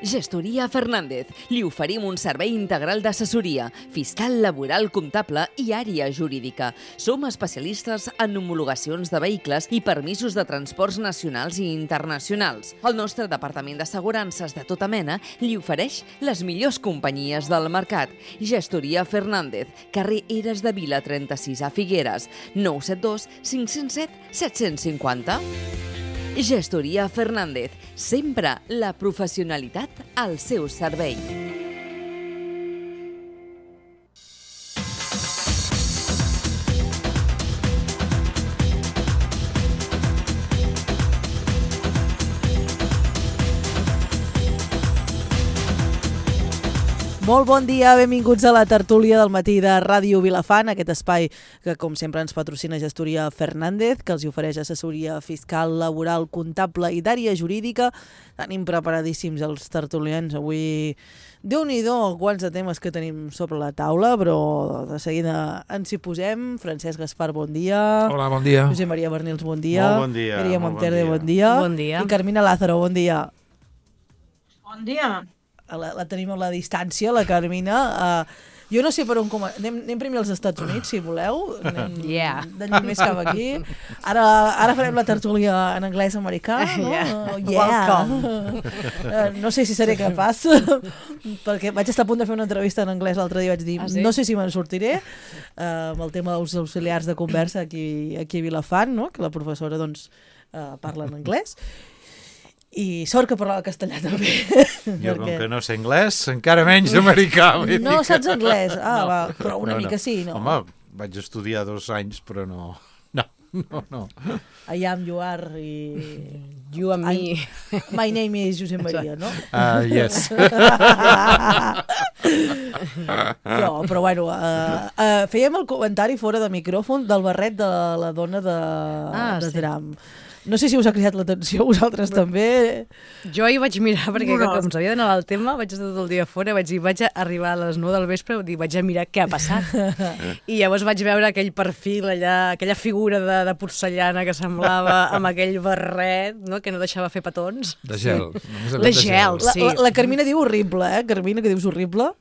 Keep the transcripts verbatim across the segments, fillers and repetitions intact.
Gestoria Fernández. Li oferim un servei integral d'assessoria, fiscal, laboral, comptable i àrea jurídica. Som especialistes en homologacions de vehicles i permisos de transports nacionals i internacionals. El nostre departament d'assegurances de tota mena li ofereix les millors companyies del mercat. Gestoria Fernández, carrer Eres de Vila trenta-sis a Figueres, nou set dos cinc zero set set cinc zero. Gestoria Fernández, sempre la professionalitat al seu servei. Molt bon dia, benvinguts a la tertúlia del matí de Ràdio Vilafant, aquest espai que, com sempre, ens patrocina Gestoria Fernández, que els ofereix assessoria fiscal, laboral, comptable i d'àrea jurídica. Tenim preparadíssims els tertulians avui. Déu-n'hi-do quants de temes que tenim sobre la taula, però de seguida ens hi posem. Francesc Gaspar, bon dia. Hola, bon dia. Josep Maria Bernils, bon dia. Molt bon dia. Míriam molt Monterde, bon bon dia. Bon dia. I Carmina Lázaro, bon dia. Bon dia. La, la tenim a la distància, la Carmina. Uh, jo no sé per on... Com... Anem, anem primer als Estats Units, si voleu. Anem Yeah. de lluny més cap aquí. Ara, ara farem la tertúlia en anglès americà, no? Yeah. Oh, yeah. Uh, no sé si seré capaç, perquè vaig estar a punt de fer una entrevista en anglès l'altre dia i vaig dir, Ah, sí? no sé si me'n sortiré, uh, amb el tema dels auxiliars de conversa aquí, aquí a Vilafant, no? Que la professora doncs, uh, parla en anglès. I sort que parlava castellà també. Jo, com que no sé anglès, encara menys americà. No saps anglès? Ah, No. va, però una No, mica no. sí, no? Home, vaig estudiar dos anys, però no. No, no, no. I am, you are, i... You and me. My name is Josep Maria, no? Uh, yes. No, però bueno, uh, uh, fèiem el comentari fora de micròfon del barret de la dona de, Ah, de sí. Trump. No sé si us ha cridat l'atenció, vosaltres també. Jo hi vaig mirar, perquè No. com sabia d'anar al tema, vaig estar tot el dia fora, vaig dir, vaig arribar a les nou del vespre i vaig a mirar què ha passat. I llavors vaig veure aquell perfil allà, aquella figura de, de porcellana que semblava amb aquell barret, no?, que no deixava fer petons. De gel. només De de gel, La, sí. la, la Carmina diu horrible, eh? Carmina, que dius horrible?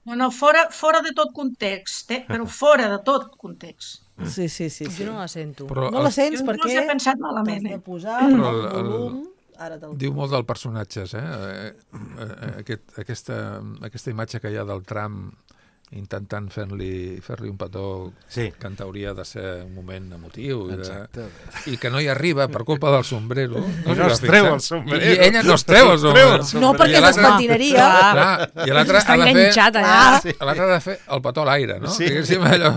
No, no, fora, fora de tot context, eh? Però fora de tot context. Sí, sí, sí. sí. Jo no la sento. Però No la el, sents Jo perquè... inclús he pensat malament, T'has de eh? posar Però el, el- el- volum... Ara te'l... diu molt del personatges, eh? Eh, eh, Aquest, aquesta, aquesta imatge que hi ha del Trump intentant fer-li fer-li un petó Sí. que en teoria ha de ser un moment emotiu i, de, Exacte. i que no hi arriba per culpa del sombrero. No s'hi va es treu fixar. el sombrero. I ella no es treu el No es treu el sombrero. No, perquè I es l'altre- despentineria. Clar, i l'altre Està ha de fer... enganxat allà. Sí. L'altre ha de fer el petó a l'aire, no? Sí. Diguéssim, allò...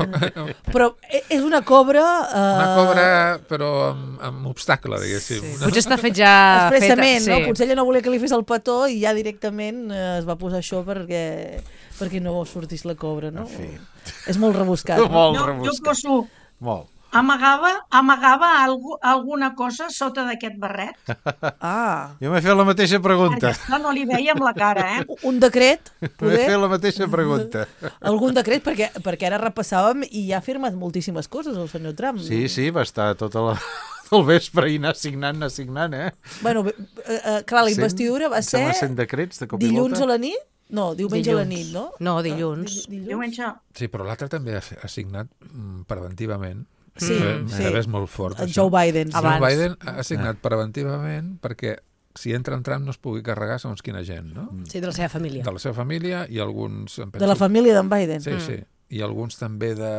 Però e- és una cobra... Uh... Una cobra, però amb, amb obstacle, diguéssim. Sí. No? Potser està fet ja... Expressament, feta, no? Potser ella no volia que li fes el petó i ja directament eh, es va posar això perquè, perquè no sortís la cobra, no? En fi. És molt rebuscat. No? Molt Jo, jo rebuscat. poso... Molt. Amagava, amagava algú, alguna cosa sota d'aquest barret. Ah, Jo m'he fet la mateixa Perquè pregunta. esclar, no li veia amb la cara, eh? un decret, M'he poder? fet la mateixa pregunta. Algun decret? Perquè, perquè ara repassàvem i ja ha firmat moltíssimes coses el senyor Trump. Sí, sí, va estar tota la... el vespre i anar signant, anar signant, eh? Bueno, eh, eh, clar, la Cent- investidura va em sembla ser cent decrets de cop i dilluns volta. a la nit? No, diumenge a la nit, no? No, dilluns. Ah, di- dilluns? Diumenge... Sí, però l'altre també ha, ha signat mm, preventivament. Sí, Eh, sí. És molt fort, El això. Joe Biden. sí. Abans. Joe Biden ha signat preventivament perquè si entra en Trump no es pugui carregar segons quina gent, no? Sí, de la seva família. De la seva família i alguns... em De penso- la família d'en Biden. Sí, sí. I alguns també de...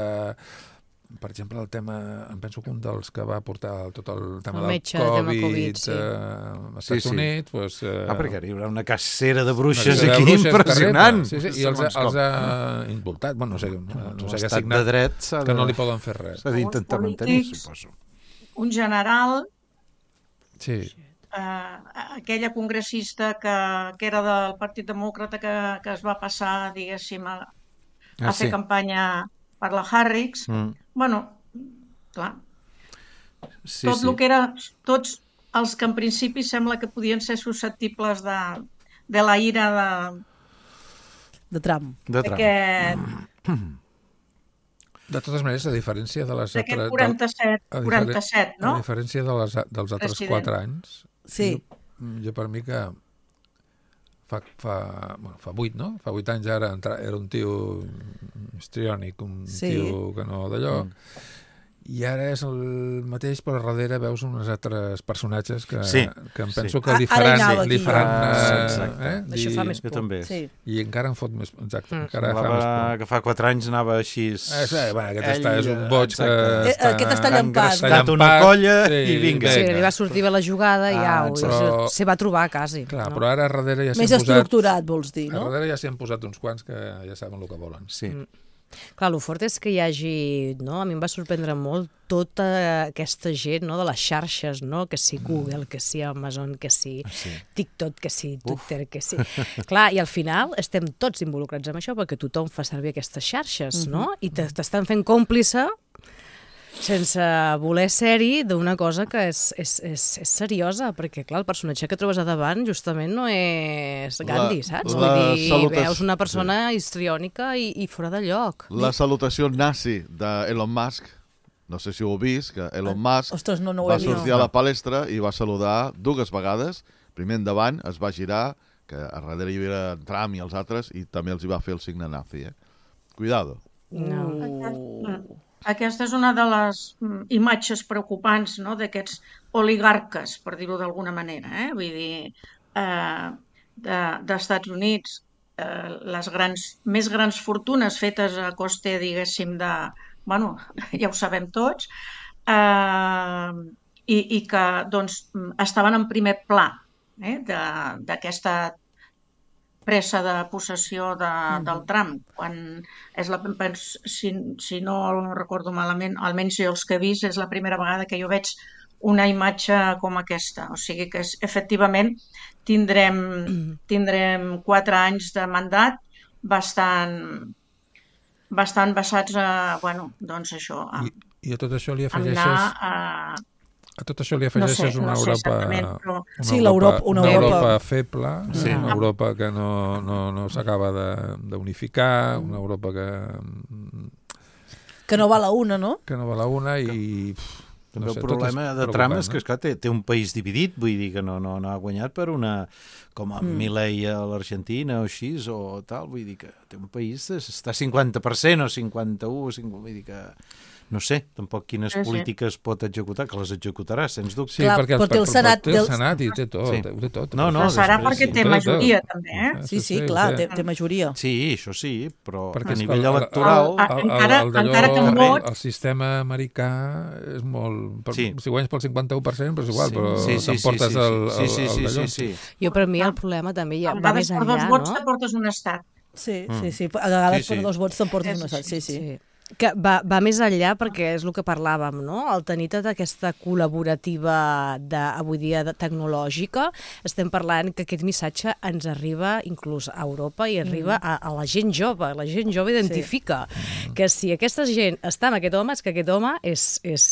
Per exemple, el tema... Em penso que un dels que va portar tot el tema El del metge, el tema Covid, Covid, sí. eh, als Sí, Estats sí. Units... Doncs, eh, Ah, perquè ara hi haurà una cacera de bruixes una sèrie de aquí bruixes impressionant. terrible. Sí, sí, i els, Segons els com. ha indultat. Bueno, no sé, no, no sé què ha L'estat de signat, dret s'ha que de... no li poden fer res. s'ha d'intentar mantenir, Polítics. suposo. Un general, Sí, eh, aquella congressista que, que era del Partit Demòcrata que, que es va passar, diguéssim, a, a Ah, fer sí. campanya per la Harris. Mm. Bueno, clar, Sí, tot sí. el que era, tots els que en principi sembla que podien ser susceptibles de, de la ira de, De Trump. De Trump. d'aquest de totes maneres, a diferència de les d'aquest altres... quaranta-set, a diferen- quaranta-set, no? A diferència de les, dels altres President. quatre anys, Sí. jo, jo per mi que fa, fa, bueno, fa vuit, no? Fa vuit anys ara era un tio histriònic, un sí. tio que no d'allò, mm. i ara és el mateix, però darrere veus uns altres personatges que, sí. que em penso sí. que li faran... Ara li faran ah, eh? Això fa més por. també. Sí. I encara em fot més... Exacte, mm. encara fa més por. Que fa quatre anys anava així... Eh, sí, bueno, aquest Ell, està, és un boig que... Eh, aquest està llampat. Està llampat una colla sí, i vinga. Sí, li va sortir bé la jugada i ah, au, però... se va trobar quasi. Clar, no? però ara darrere ja s'hi han posat... Més estructurat, posat... vols dir, no? A darrere ja s'hi han posat uns quants que ja saben el que volen. Sí. Mm. Clar, el fort és que hi hagi, no? A mi em va sorprendre molt tota aquesta gent, no? De les xarxes, no? Que si Google, que si Amazon, que si sí. TikTok, que si Twitter, Uf. que si... Clar, i al final estem tots involucrats en això perquè tothom fa servir aquestes xarxes, no? I t'estan fent còmplice sense voler ser-hi d'una cosa que és, és, és, és seriosa, perquè, clar, el personatge que trobes a davant justament no és Gandhi, la, saps? La Vull dir, salutació... veus una persona sí. histriònica i, i fora de lloc. La salutació nazi d'Elon Musk, no sé si ho heu vist, que Elon Musk Ostres, no, no ho va he sortir a la palestra i va saludar dues vegades, primer endavant, es va girar, que a darrere hi havia Trump i els altres, i també els hi va fer el signe nazi, eh? Cuidado. No. Aquest, aquesta és una de les imatges preocupants, no?, d'aquests oligarques, per dir-ho d'alguna manera, eh? Vull dir, eh, de, d'Estats Units, eh, les grans, més grans fortunes fetes a costa, diguéssim, de... Bueno, ja ho sabem tots, eh, i, i que, doncs, estaven en primer pla, eh, de, d'aquesta pressa de possessió de, mm. del Trump, quan és la, si, si no recordo malament, almenys jo els que he vist, és la primera vegada que jo veig una imatge com aquesta. O sigui que és, efectivament tindrem, tindrem quatre anys de mandat bastant, bastant basats a, bueno, doncs això, a, I, i a tot això li afegeixes... anar a... A tot això li afegeixes no sé, una no Europa, sé però... una, sí, Europa, una, una Europa... Europa feble, sí. una Europa que no, no, no s'acaba d'unificar, una Europa que... Que no va a la una, no? Que no va a la una i... Pff, també no sé, el problema de Trump és que, esclar, té, té un país dividit, vull dir que no, no, no ha guanyat per una... com a mm. Milei a l'Argentina o així, o tal, vull dir que té un país, està cinquanta per cent o cinquanta-u, cinquanta, vull dir que... No sé, tampoc quines sí, polítiques sí. pot executar, que les executarà, sens dubte. Sí, clar, perquè però té el Senat, té el Senat i té tot. Sí. Té tot. No, no, serà perquè té majoria, també, eh? Sí, sí, clar, té, té majoria. Sí, això sí, però perquè a nivell electoral... El, el, encara, el, encara que un vot... El sistema americà és molt... Per, sí. Si guanyes pel cinquanta-u per cent, però és igual, sí. però sí, sí, t'emportes sí, sí, el, sí, sí, el, el sí, sí, sí. Jo, per mi, el problema també ja va més enllà, no? A vegades per dos vots t'emportes un estat. Sí, sí, sí. A vegades sí, sí. per dos vots t'emportes un estat, sí, sí. sí. Que va, va més enllà perquè és el que parlàvem, no? El tenir tota aquesta col·laborativa de, avui dia de, tecnològica, estem parlant que aquest missatge ens arriba inclús a Europa i arriba mm. a, a la gent jove. La gent jove identifica sí. que si aquesta gent està amb aquest home és que aquest home és, és,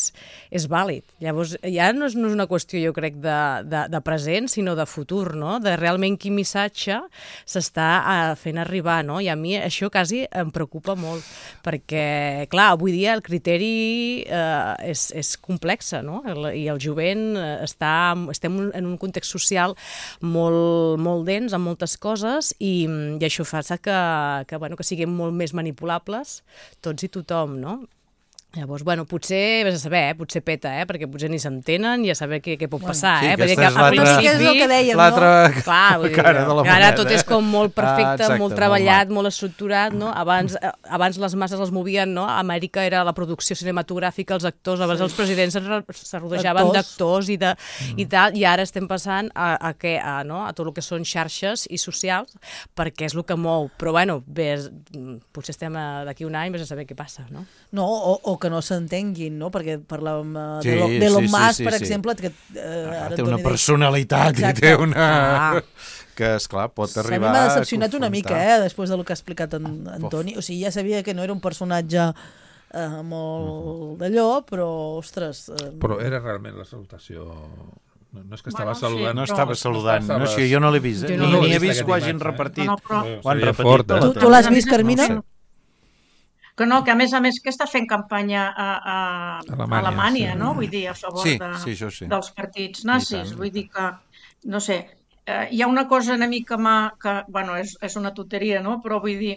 és vàlid. Llavors, ja no és, no és una qüestió, jo crec, de, de, de present, sinó de futur, no? De realment quin missatge s'està fent arribar, no? I a mi això quasi em preocupa molt, perquè clar, avui dia el criteri eh, és, és complex, no? El, i el jovent està, estem en un context social molt, molt dens, amb moltes coses, i, i això fa que, que, bueno, que siguem molt més manipulables tots i tothom, no? Llavors, bueno, potser, vés a saber, eh? Potser peta, eh? Perquè potser ni s'entenen i a saber què, què pot passar, sí, eh? Perquè que al principi... És el que dèiem, l'altra no? Clar, vull dir, cara de la moneda. Ara tot és com molt perfecte, ah, exacte, molt treballat, molt, molt estructurat, no? Abans, abans les masses els movien, no? A Amèrica era la producció cinematogràfica, els actors, abans sí. els presidents es rodejaven d'actors i, de, mm. i tal, i ara estem passant a, a, què, a, no? a tot el que són xarxes i socials, perquè és el que mou. Però, bueno, bé, potser estem d'aquí un any, vés a saber què passa, no? No, o, o que no s'entengui, no? Perquè parlàvem uh, sí, d'Elon sí, Musk, sí, per sí. exemple, que uh, ah, ara té una Antoni personalitat i té una... Ah. Que, esclar, pot arribar... A mi m'ha decepcionat una mica, eh, després del que ha explicat en, Antoni. O sigui, ja sabia que no era un personatge uh, molt uh-huh. d'allò, però, ostres... Uh... Però era realment la salutació... No, no és que estava bueno, saludant... Sí, no estava saludant, no, no, si jo no l'he vist, eh? Jo no, no, no ni he vist vist que ho hagin imatge, repartit. No, no, però... Ho han repetit. Fort, eh? Tu, tu l'has vist, Carmina? No sé. Que no, que a més a més que està fent campanya a, a, Alemanya, a Alemanya, sí. no? Vull dir, a favor sí, de, sí, sí. dels partits nazis. Vull dir que, no sé, eh, hi ha una cosa una mica mà, que, bueno, és, és una tonteria, no? Però vull dir,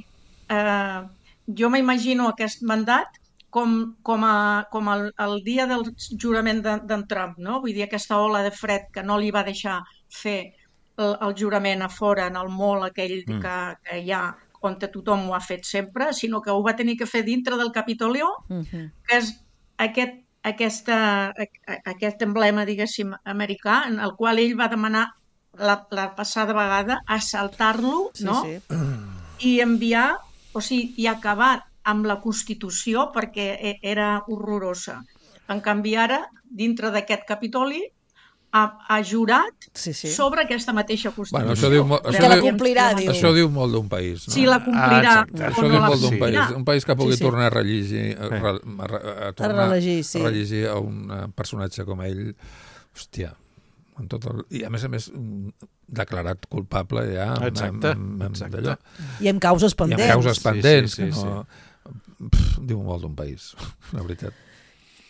eh, jo m'imagino aquest mandat com, com, a, com el, el dia del jurament d'en de, Trump, no? Vull dir, aquesta ola de fred que no li va deixar fer el, el jurament a fora, en el mall aquell mm. que, que hi ha, on tothom ho ha fet sempre, sinó que ho va tenir que fer dintre del Capitolio, mm-hmm. que és aquest, aquesta, aquest emblema, diguéssim, americà, en el qual ell va demanar la, la passada vegada assaltar-lo, sí, no? Sí. I enviar, o sigui, i acabar amb la Constitució perquè era horrorosa. En canvi, ara, dintre d'aquest Capitoli, ha, ha jurat sí, sí. sobre aquesta mateixa Constitució. Bueno, això diu, això que la diu, complirà, diu. Això diu molt d'un país. No? Sí, la complirà. Ah, això diu no molt d'un país. Un país que pugui sí, sí. tornar a rellegir, a, a, a, tornar a rellegir, sí. a rellegir a un personatge com ell, hòstia, amb tot el, i a més a més declarat culpable ja exacte, amb, amb, exacte. d'allò. I amb causes pendents. I amb causes pendents. Sí, sí, sí, que no, sí. Pff, diu molt d'un país, la veritat.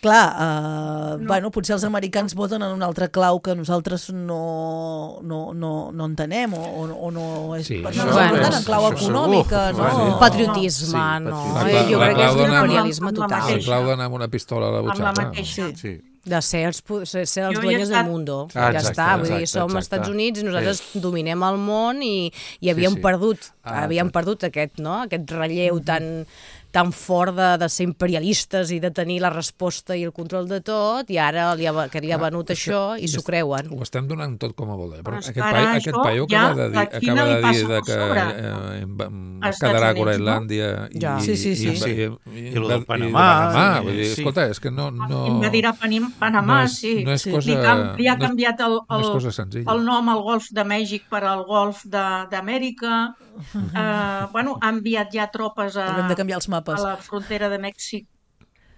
Clar, uh, no. bueno, potser els americans voten en un altre clau que nosaltres no, no, no, no entenem o, o no és... Sí, no això, no bueno, voten en clau econòmica, no? Un patriotisme, Sí, no. patriotisme. Jo crec que és un Amb- imperialisme amb la total. mateixa. El clau d'anar amb una pistola a la Amb la butxaca. mateixa. Sí. Sí. De ser els, ser, ser els Jo he dueños estat- del mundo. Ah, ja exacte, està, vull dir, exacte, som exacte. Estats Units i nosaltres Sí. dominem el món i, i havíem sí. perdut, Ah, havíem exacte. perdut aquest, no? aquest relleu tan, tan fort de, de ser imperialistes i de tenir la resposta i el control de tot, i ara li ha, que li ha venut Ah, això i s'ho creuen. Ho estem donant tot com a voler, però Però és aquest, que pai, ara aquest això paio ja acaba de dir, la Xina acaba de li passa dir de per que sobre. eh, em- em- Als es quedarà a Estats Units, Groenlàndia i, Ja. Sí, sí, sí. i, Sí. i, i, I lo del i Panamà, de Panamà. sí. Vull dir, escolta, és que no... no Invadirà Panim- Panamà, no és, sí. No és Sí. cosa... Li, cam, li ha no és- canviat el, no és el, cosa senzilla. el nom al Golf de Mèxic per al Golf de- d'Amèrica. Uh, bueno, ha enviat ja tropes a, Haurem de canviar els a mapes. la frontera de Mèxic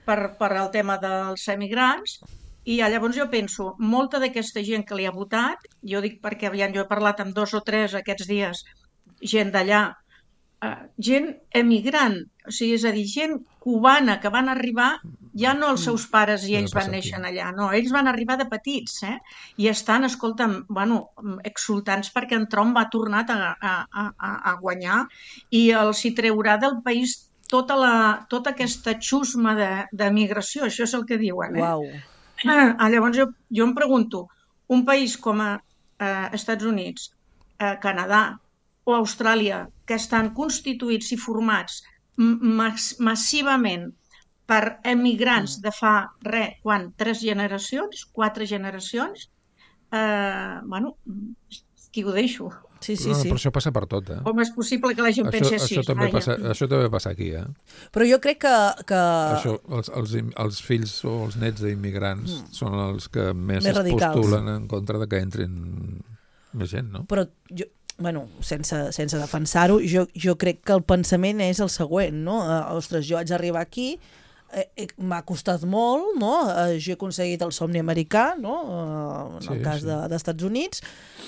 per, per al tema dels emigrants. I llavors jo penso, molta d'aquesta gent que li ha votat, jo dic perquè aviam, jo he parlat amb dos o tres aquests dies, gent d'allà, uh, gent emigrant, o sigui, és a dir, gent cubana que van arribar, ja no els seus pares i Ja ells passa van aquí. néixer allà, no, ells van arribar de petits, eh? I estan, escolta'm, bueno, exultants perquè en Trump va tornar a, a, a, a guanyar i els hi treurà del país tota, la, tota aquesta xusma de, de migració, això és el que diuen, eh? Uau. Ah, llavors jo, jo em pregunto, un país com a eh, Estats Units, eh, Canadà o Austràlia, que estan constituïts i formats mas, massivament per emigrants de fa, res, quan, tres generacions, quatre generacions, eh, bueno, aquí ho deixo. Sí, sí, no, sí. Però això passa per tot, eh? Com és possible que la gent Això, pensi així? això, també Vaja. passa, això també passa aquí, eh? Però jo crec que... que... Això, els, els, im- els fills o els nets d'immigrants mm. són els que més, Més es radicals. postulen en contra de que entrin més gent, no? Però jo, bueno, sense, sense defensar-ho, jo, jo crec que el pensament és el següent, no? Eh, ostres, jo haig d'arribar aquí, eh, eh, m'ha costat molt, no? Eh, jo he aconseguit el somni americà, no? Eh, en Sí, el cas sí. de, dels Estats Units,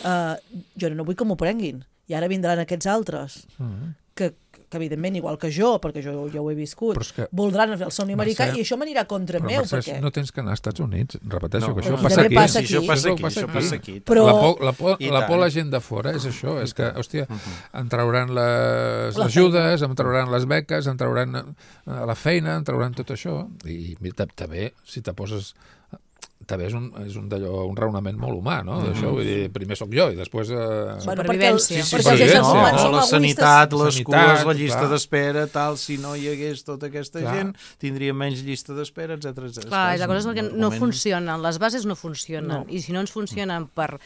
eh, jo no vull que m'ho prenguin. I ara vindran aquests altres, Mm. que, que evidentment, igual que jo, perquè jo ja ho he viscut, Però és que- voldran fer el somni americà Mercè, i això m'anirà contra Però, meu, Mercè, perquè... no tens que anar als Estats Units. Repeteixo No, que això aquí passa també aquí. passa Sí, això aquí. passa Això aquí, passa això aquí. passa aquí. Però- La por, la por, I la por tant. la gent de fora és això, és que, hòstia, en trauran les La ajudes, en trauran les beques, en trauran eh, la feina, en trauran tot això, i mira, també, si te poses... també és un, és un, d'allò, un raonament molt humà, no? D'això, vull dir, primer sóc jo i després... Eh... Bueno, perquè, el, Supervivència. sí, Sí, sí, perquè els supervivència. éssers no, humans o som la egoistes. sanitat, les Sanitat, cues, la llista clar. d'espera, tal, si no hi hagués tota aquesta Clar. gent, tindria menys llista d'espera, etcètera, etcètera. Clar, i la cosa és que un no moment- funcionen, les bases no funcionen, No. i si no ens funcionen per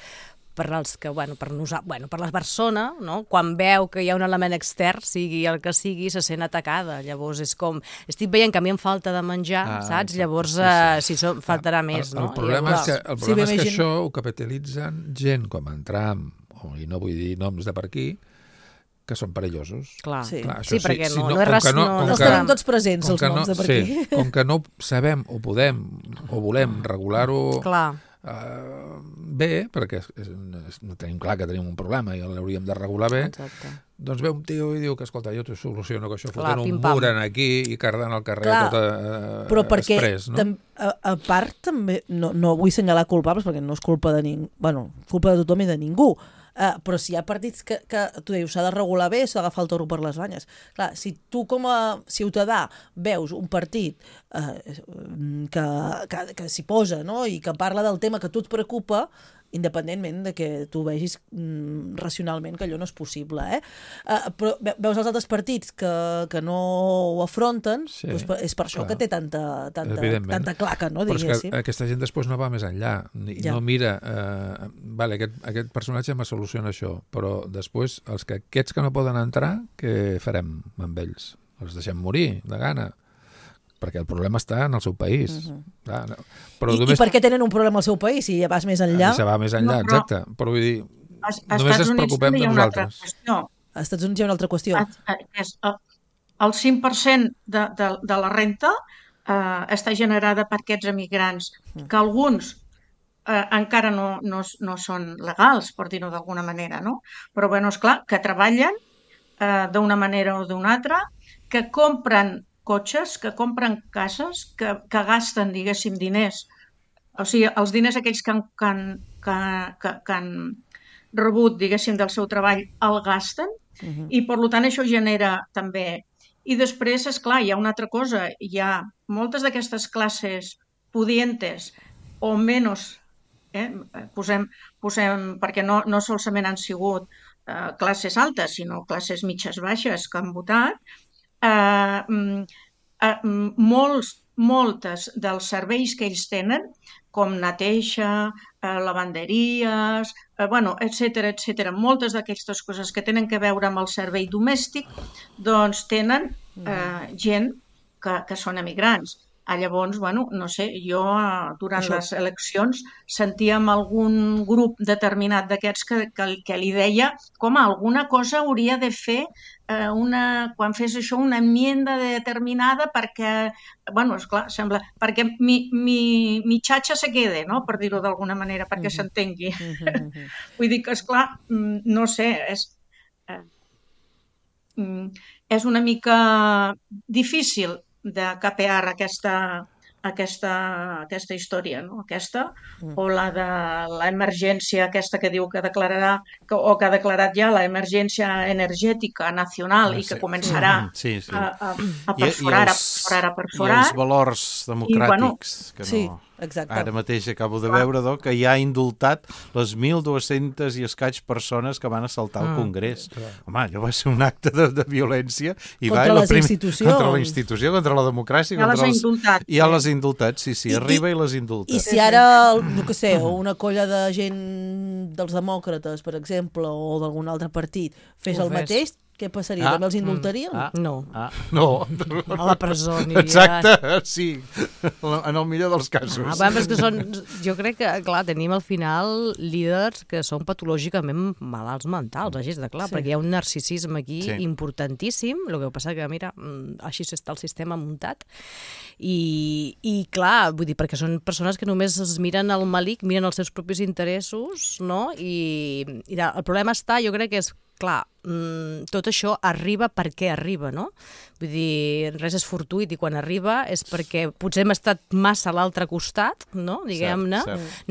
per als que, bueno, per nosaltres, bueno, per la persona, no? Quan veu que hi ha un element extern, sigui el que sigui, se sent atacada. Llavors és com, estic veient que a mi em falta de menjar, Ah, saps? exacte, Llavors, sí, sí. eh, si som, faltarà més, el, no? El problema Llavors, és que, el Sí, problema és que m'imagino. això ho capitalitzen gent com en Trump, o, i no vull dir noms de per aquí, que són perillosos. Clar, Sí. Clar, sí, això perquè si no, no- no, és com res, que no- no, com no Els que- tenim tots presents, els que noms no, de per sí, aquí. com que no sabem o podem o volem regular-ho Clar. Uh, bé, perquè és, és, és, no tenim clar que tenim un problema i l'hauríem de regular bé, Exacte. doncs ve un tio i diu que, escolta, jo t'ho soluciono, que això Clar, fotent un pim-pam. mur en aquí i cardant al carrer Clar, tot uh, Però perquè, express, no? tam, a, a part, també, no, no vull senyalar culpables, perquè no és culpa de ningú, bueno, culpa de tothom i de ningú. Uh, però si hi ha partits que, que tu dius, s'ha de regular bé, s'ha d'agafar el toro per les banyes. Clar, si tu com a ciutadà veus un partit uh, que, que, que s'hi posa, no?, i que parla del tema que a tu et preocupa, independentment de que tu vegis mm, racionalment que allò no és possible, eh? Uh, però veus els altres partits que, que no ho afronten, sí, doncs és per això clar. Que té tanta, tanta, tanta claca, no, però diguéssim. És que aquesta gent després no va més enllà, i ja. no mira, eh, vale, aquest, aquest personatge me soluciona això, però després els que, aquests que no poden entrar, què farem amb ells? Els deixem morir de gana? Perquè el problema està en el seu país. Uh-huh. Clar, no. Però I, només... I per què tenen un problema al seu país, si ja vas més enllà? Si va més enllà, no, però... exacte. Però vull dir, a, a només ens preocupem de nosaltres. A Estats Units hi ha una altra qüestió. A, a, és, a, el cinc per cent de, de, de la renta eh, està generada per aquests emigrants, que alguns eh, encara no, no, no són legals, per dir-ho d'alguna manera, no? Però, bueno, esclar, que treballen eh, d'una manera o d'una altra, que compren cotxes, que compren cases, que, que gasten, diguéssim, diners. O sigui, els diners aquells que han, que han, que, que, que han rebut, diguéssim, del seu treball, el gasten, uh-huh. i per tant això genera també... I després, esclar, hi ha una altra cosa, hi ha moltes d'aquestes classes pudientes o menys, eh, posem, posem, perquè no, no solament han sigut eh, classes altes, sinó classes mitges baixes que han votat, Uh, uh, molts, moltes dels serveis que ells tenen, com neteja, uh, lavanderies, uh, bueno, etcètera, etcètera, moltes d'aquestes coses que tenen que veure amb el servei domèstic, doncs tenen uh, gent que, que són emigrants. Ah, llavors, bueno, no sé, jo durant Això. les eleccions sentíem algun grup determinat d'aquests que, que, que li deia com alguna cosa hauria de fer eh, una, quan fes això una enmienda determinada perquè, bueno, esclar, sembla, perquè mi, mi, mi xatxa se quede, no?, per dir-ho d'alguna manera, perquè uh-huh. s'entengui. Uh-huh. Vull dir que, esclar, no sé, és, eh, és una mica difícil de capear aquesta, aquesta, aquesta història, no? Aquesta, mm. o la de l'emergència aquesta que diu que declararà, que, o que ha declarat ja l'emergència energètica nacional ah, sí. i que començarà sí, sí. a, a, a perforar, I, i els, a perforar, a perforar. I els valors democràtics, I, bueno, que no... Sí. Exacte. Ara mateix acabo de veure do, que ja ha indultat les mil dues-centes i escaig persones que van assaltar el Congrés. Mm. Home, allò va ser un acte de, de violència. I contra va, les prim... institucions. Contra la institució, contra la democràcia. Ja contra les ha indultat. Ja les ha indultat, sí, sí, I, arriba i, i les indulta. I si ara, no que sé, una colla de gent dels demòcrates, per exemple, o d'algun altre partit, fes Ho el fes. mateix, què passaria? Ah, També els indultarien? Ah, no. Ah, no. A la presó aniria. Exacte, sí. En el millor dels casos. Ah, bueno, que són, jo crec que, clar, tenim al final líders que són patològicament malalts mentals, així de clar, sí. perquè hi ha un narcisisme aquí sí. importantíssim, el que passa que, mira, així està el sistema muntat, i, i clar, vull dir, perquè són persones que només es miren al malic, miren els seus propis interessos, no? I, i el problema està, jo crec que és, clar, tot això arriba perquè arriba, no? Vull dir, res és fortuït i quan arriba és perquè potser hem estat massa a l'altre costat, no? Diguem-ne.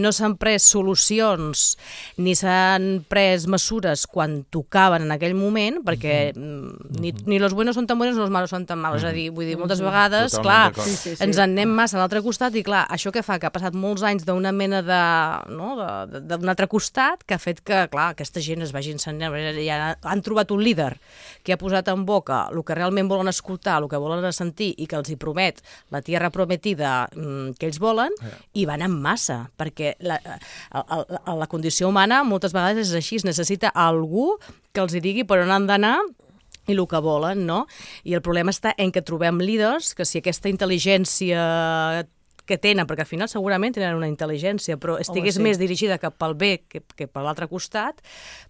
No s'han pres solucions ni s'han pres mesures quan tocaven en aquell moment, perquè mm-hmm. ni, ni los buenos són tan buenos ni los malos són tan malos. Mm-hmm. És a dir, vull dir, moltes vegades, Totalment clar, sí, sí, sí. ens en anem massa a l'altre costat i clar, això que fa que ha passat molts anys d'una mena de, no? de, de, d'un altre costat que ha fet que, clar, aquesta gent es vagi ensenyant, ja han trobat un líder que ha posat en boca el que realment volen escoltar, el que volen sentir i que els hi promet la tierra prometida mm, que ells volen, yeah. i van en massa, perquè la, la, la, la condició humana moltes vegades és així, es necessita algú que els hi digui per on han d'anar i el que volen, no? I el problema està en que trobem líders que si aquesta intel·ligència que tenen, perquè al final segurament tenen una intel·ligència, però estigués Home, sí. més dirigida cap al bé que, que per l'altre costat,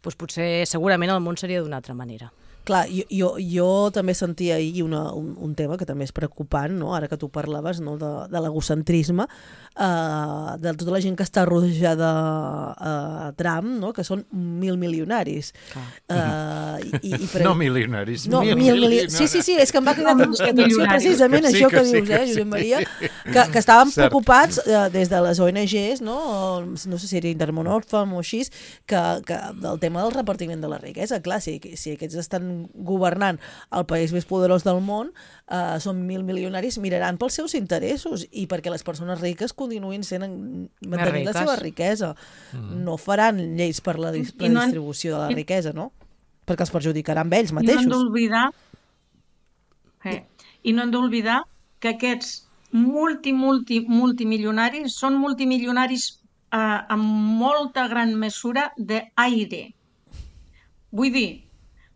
doncs potser segurament el món seria d'una altra manera. Clar, jo, jo, jo també sentia ahir una, un, un tema que també és preocupant, no? Ara que tu parlaves, no? de, de l'egocentrisme, uh, de tota la gent que està rodejada a uh, Trump, no? Que són mil milionaris. Uh, i, i pre... No milionaris, no, mil, mil milionaris. Sí, sí, sí, és que em va cridar l'atenció precisament que sí, això que, que sí, dius, eh, Josep Maria, sí. que, que estàvem Cert. preocupats uh, des de les O N Ges, no? No sé si era Intermón Oxfam o així, que, que del tema del repartiment de la riquesa. Clar, si, si aquests estan governant el país més poderós del món, eh, són mil milionaris, miraran pels seus interessos i perquè les persones riques continuïn sent mantenint la seva riquesa. Mm. No faran lleis per la, la no distribució de la riquesa, no? Perquè els perjudicaran ells mateixos. I no hem d'oblidar eh, i no hem d'oblidar que aquests multi, multi, multimilionaris són multimilionaris eh, amb molta gran mesura d'aire. Vull dir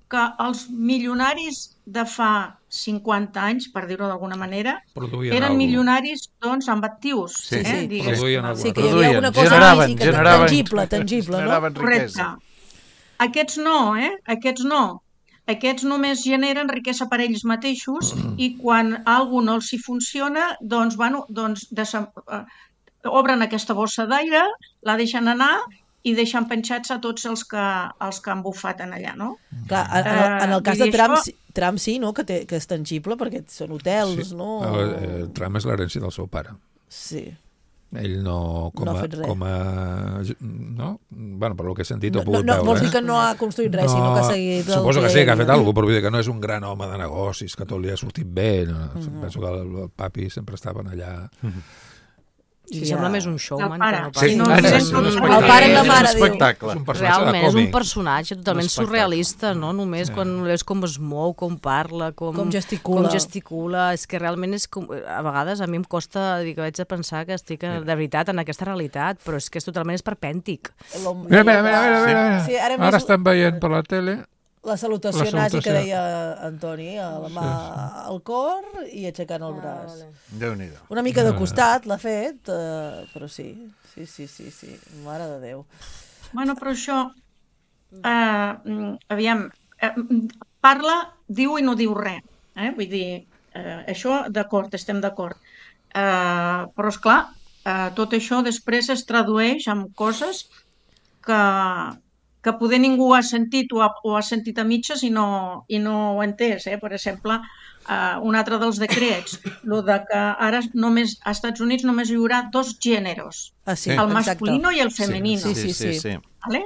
que els milionaris de fa cinquanta anys, per dir-ho d'alguna manera, produïen eren algo. milionaris doncs, amb actius. Sí, eh? sí, Digues, produïen sí que hi havia alguna cosa generaven, màgica, generaven, tangible, tangible, generaven no? riquesa. Correcte. Aquests no, eh? Aquests no. Aquests només generen riquesa per ells mateixos i quan algú no els hi funciona, doncs, bueno, doncs desem... obren aquesta bossa d'aire, la deixen anar i deixen penjats a tots els que, els que han bufat en allà, no? Clar, en, en, el, en el cas de Trump, això... Trump sí, no? Que, té, que és tangible perquè són hotels, sí. no? El, el Trump és l'herència del seu pare. Sí. Ell no, com, no a, com a... No? Bueno, per el que he sentit no, ho he pogut no, no, veure. Vols dir que no ha construït res, no, sinó que ha seguit... Suposo que, que sí, que ha fet alguna cosa, però vull dir que no és un gran home de negocis, que tot li ha sortit bé. No? Mm-hmm. Penso que el, el papi sempre estaven allà... Mm-hmm. Sí, ja. Sembla més un showman que no pas. Sí, no, no, no, no, no, el pare i la mare, diu. És un personatge Realment, de és un còmic. personatge totalment surrealista, no? Només sí. quan veus com es mou, com parla, com, com gesticula. Com gesticula. És que realment és com... A vegades a mi em costa, dic, vaig a pensar que estic de veritat en aquesta realitat, però és que és totalment esperpèntic. Mira, mira, mira, mira, mira. Sí, ara, ara estan veient per la tele... La salutació, la salutació nazi que deia Antoni, a la mà sí, sí. al cor i aixecant el braç. Ah, vale. Déu-n'hi-do. Una mica de costat l'ha fet, eh, però sí, sí, sí, sí, sí, mare de Déu. Bueno, però això, eh, aviam, eh, parla, diu i no diu res, eh? Vull dir, eh, això d'acord, estem d'acord. Eh, però, esclar, eh, tot això després es tradueix en coses que... que poder ningú ha sentit o ha, o ha sentit a mitges i no, i no ho ha entès. Eh? Per exemple, uh, un altre dels decrets, el de que ara només, als Estats Units només hi haurà dos gèneres, ah, sí, el masculino i el femenino. Sí, sí, sí. sí, sí. Vale?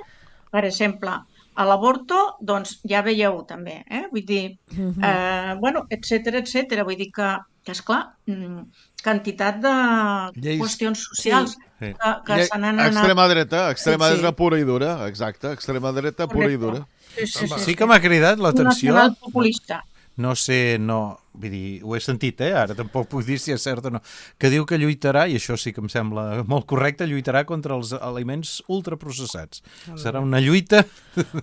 Per exemple, a l'avorto, doncs ja veieu també, eh? Vull dir, uh-huh. eh, bueno, etcètera, etcètera. Vull dir que, que esclar, quantitat de Lleis. qüestions socials sí. que, que s'han anat... Extrema dreta, extrema sí, sí. dreta pura i dura, exacte, extrema dreta pura Correcte. i dura. Sí, sí, sí, sí que m'ha cridat l'atenció... Nacional populista. No sé, no... Vull dir, ho he sentit, eh? Ara tampoc puc dir si és cert o no. Que diu que lluitarà, i això sí que em sembla molt correcte, lluitarà contra els aliments ultraprocessats. Serà una lluita...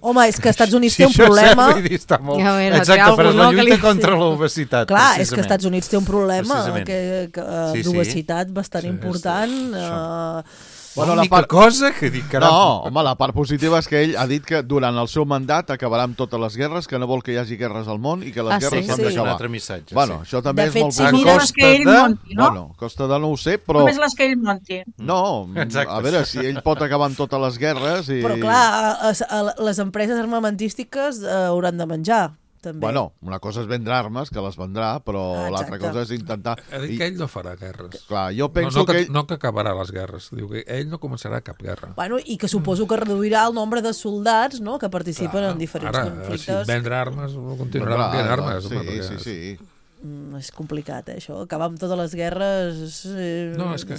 Home, és que als Estats Units si té un problema... Dir, està molt... Ja, mira, exacte, però és la lluita li... contra l'obesitat. Clar, és que als Estats Units té un problema que, que, sí, d'obesitat bastant sí, important... Sí, uh... Bueno, la part... cosa que dic, caram... No, home, la part positiva és que ell ha dit que durant el seu mandat acabarà amb totes les guerres, que no vol que hi hagi guerres al món i que les ah, guerres sí? s'han sí. d'acabar. Un altre missatge, bueno, sí. això també de és fet, molt si positiu. mira... les que ell monti, no? Bueno, costa de no ho sé, però... Només les que ell monti. No, Exacte. a veure, si ell pot acabar amb totes les guerres i... Però clar, a, a, a les empreses armamentístiques eh, hauran de menjar. També. Bueno, una cosa és vendre armes, que les vendrà, però ah, l'altra cosa és intentar... Ha dit que ell no farà guerres. Clar, jo penso no, no que... ell... No que acabarà les guerres, diu que ell no començarà cap guerra. Bueno, i que suposo que reduirà el nombre de soldats, no?, que participen Clar, en diferents ara, conflictes. Ara, si vendre armes, continuarà venent armes. Sí, home, sí, sí, sí. Mm, és complicat, eh, això. Acabar amb totes les guerres... Eh... No, és que...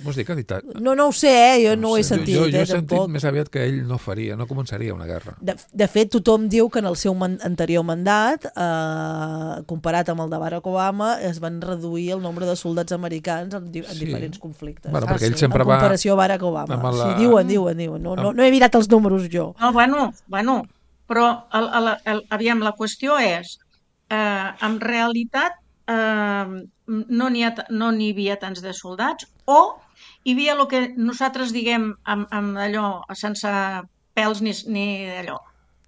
Vols dir que ha dit... No, no ho sé, eh? Jo no, no ho he sentit, jo, jo, jo eh, he sentit tampoc. més aviat que ell no faria, no començaria una guerra. De, de fet, tothom diu que en el seu man anterior mandat, eh, comparat amb el de Barack Obama, es van reduir el nombre de soldats americans en, di en sí. diferents conflictes. Bueno, perquè ah, ell sí. sempre en comparació va... a Barack Obama. La... Sí, diuen, diuen, diuen. No, no, no he mirat els números jo. No, bueno, bueno però el, el, el, aviam, la qüestió és, eh, en realitat, eh, no n'hi no n'hi havia tants de soldats, o hi havia el que nosaltres diguem amb, amb allò sense pèls ni, ni allò,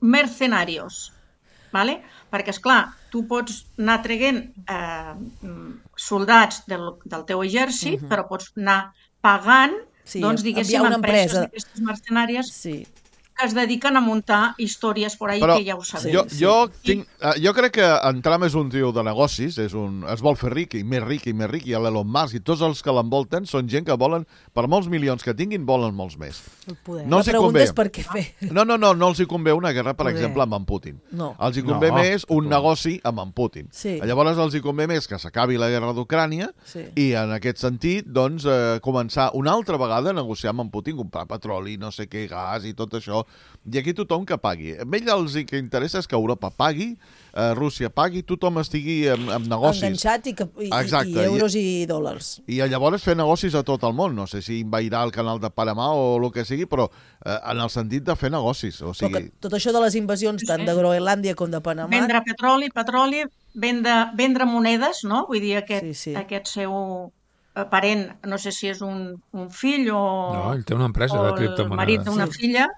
mercenarios, vale? Perquè, esclar, tu pots anar traient eh, soldats del, del teu exèrcit, uh-huh. però pots anar pagant, sí, doncs, diguéssim, una empreses empresa d'aquestes mercenàries sí. que es dediquen a muntar històries por ahí, però que ja ho sabem. Jo, jo, tinc, jo crec que en Trump és un tio de negocis, és un, es vol fer ric i més ric i més ric, i l'Elon Musk i tots els que l'envolten són gent que volen, per molts milions que tinguin, volen molts més. No la pregunta és per què fer. No, no, no, no els hi convé una guerra, per poder. exemple, amb en Putin. No. Els hi convé no, més un negoci amb en Putin. Sí. Llavors els hi convé més que s'acabi la guerra d'Ucrània sí. i en aquest sentit, doncs, eh, començar una altra vegada a negociar amb en Putin, comprar petroli, no sé què, gas i tot això. I aquí tothom que pagui. A ell els que interessa és que Europa pagui, eh, Rússia pagui, tothom estigui en, en negocis. Enganxat i, que, i, i euros i, i dòlars. I llavors fer negocis a tot el món. No sé si envairar el canal de Panamà o el que sigui, però eh, en el sentit de fer negocis. O sigui... Tot això de les invasions tant de Groenlàndia com de Panamà... Vendre petroli, petroli, vendre, vendre monedes, no? Vull dir, aquest, sí, sí. aquest seu parent, no sé si és un, un fill o... No, ell té una empresa de criptomonedes. O el marit d'una sí. filla...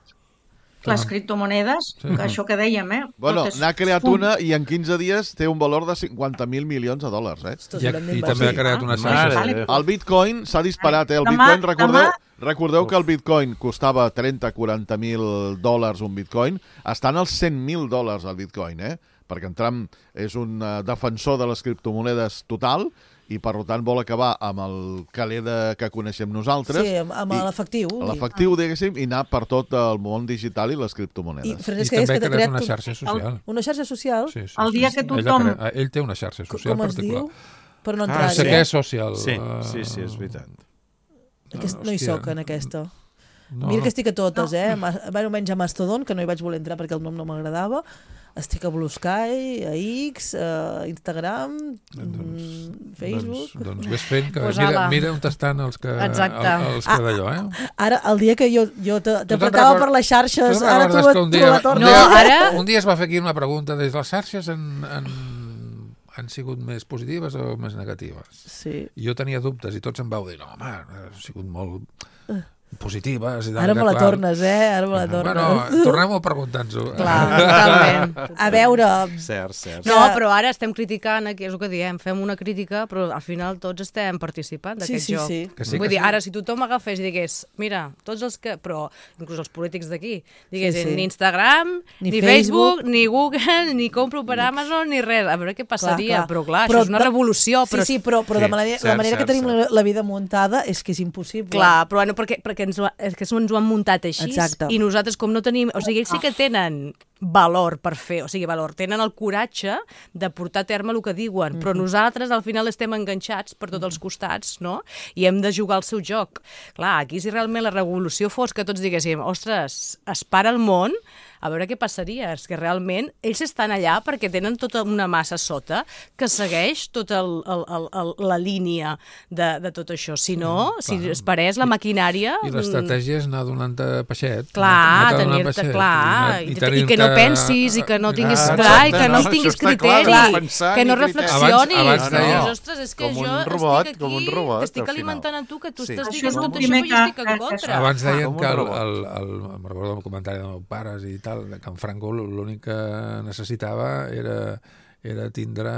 Les criptomonedes, sí. que això que dèiem, eh? Bueno, n'ha creat una i en quinze dies té un valor de cinquanta mil milions de dòlars, eh? I, i també ha creat una xarxa. El Bitcoin s'ha disparat, eh? El Bitcoin, recordeu, recordeu que el Bitcoin costava trenta a quaranta mil dòlars un Bitcoin, estan als cent mil dòlars el Bitcoin, eh? Perquè en Trump és un defensor de les criptomonedes total i, per tant, vol acabar amb el caler de, que coneixem nosaltres. Sí, amb, amb l'efectiu. L'efectiu, diguéssim, i anar per tot el món digital i les criptomonedes. I, I també ha creat una xarxa social. El, una xarxa social? Sí, sí, el dia sí, que tothom... Ell, crea, ell té una xarxa social com particular. Com es diu? Per no entrar-hi. Ah, sé què és social. Sí, sí, sí, és veritat. Aquest, no hi soc, en aquesta. No, Mira que estic a totes, eh? Bueno, menys a Mastodon, que no hi vaig voler entrar perquè el nom no m'agradava. Estic a Blue Sky, a X, a Instagram, doncs, Facebook... Doncs, doncs ves fent que pues mira, mira on estan els que, el, els que d'allò, eh? Ara, el dia que jo, jo t'apretava per les xarxes, ara tu, tu, un dia, la tornes... No, ara... Un dia es va fer aquí una pregunta, des les xarxes en, en, han sigut més positives o més negatives? Sí. I jo tenia dubtes i tots em vau dir, no, home, ha sigut molt... positives. I ara me la clar. tornes, eh? Ara me la tornes. Bueno, tornem a preguntar-nos-ho. Clar, totalment. A veure... Cert, cert. No, però ara estem criticant, aquí és el que diem, fem una crítica, però al final tots estem participant d'aquest sí, sí, joc. Sí. Que sí, Vull que dir, sí. ara, si tothom agafés i digués, mira, tots els que... Però, inclús els polítics d'aquí, diguessin, sí, sí. ni Instagram, ni, ni Facebook, Facebook, ni Google, ni compro per Amazon, ni res. A veure què passaria. Clar, clar. Però, clar, però, això és una revolució. Sí, però... sí, però, però sí, de manera, cert, la manera cert, que tenim cert. la vida muntada és que és impossible. Clar, però bueno, perquè, perquè ens, és que ens ho han muntat així. Exacte. I nosaltres com no tenim... O sigui, ells sí que tenen valor per fer, o sigui, valor, tenen el coratge de portar a terme el que diuen, mm-hmm. però nosaltres al final estem enganxats per tots els costats, no? I hem de jugar el seu joc. Clar, aquí si realment la revolució fos que tots diguéssim, ostres, es para el món, a veure què passaria. És que realment ells estan allà perquè tenen tota una massa sota que segueix tota el, el, el, el, la línia de, de tot això. Si no, sí, si es parés la maquinària... I l'estratègia és anar donant-te peixet. Clar, tenir-te clar, i, i, i que no pensis, i que no tinguis ah, clar, i que no, no tinguis criteri, clar, que no reflexionis. Abans, abans no. No. Ostres, és que com jo robot, estic aquí, robot, t'estic alimentant a tu, que tu sí. estàs dient tot això, però jo estic en contra. Abans deien que, el, el, el, me'n recordo el comentari dels meus pares i tal, que en Franco l'únic que necessitava era, era tindre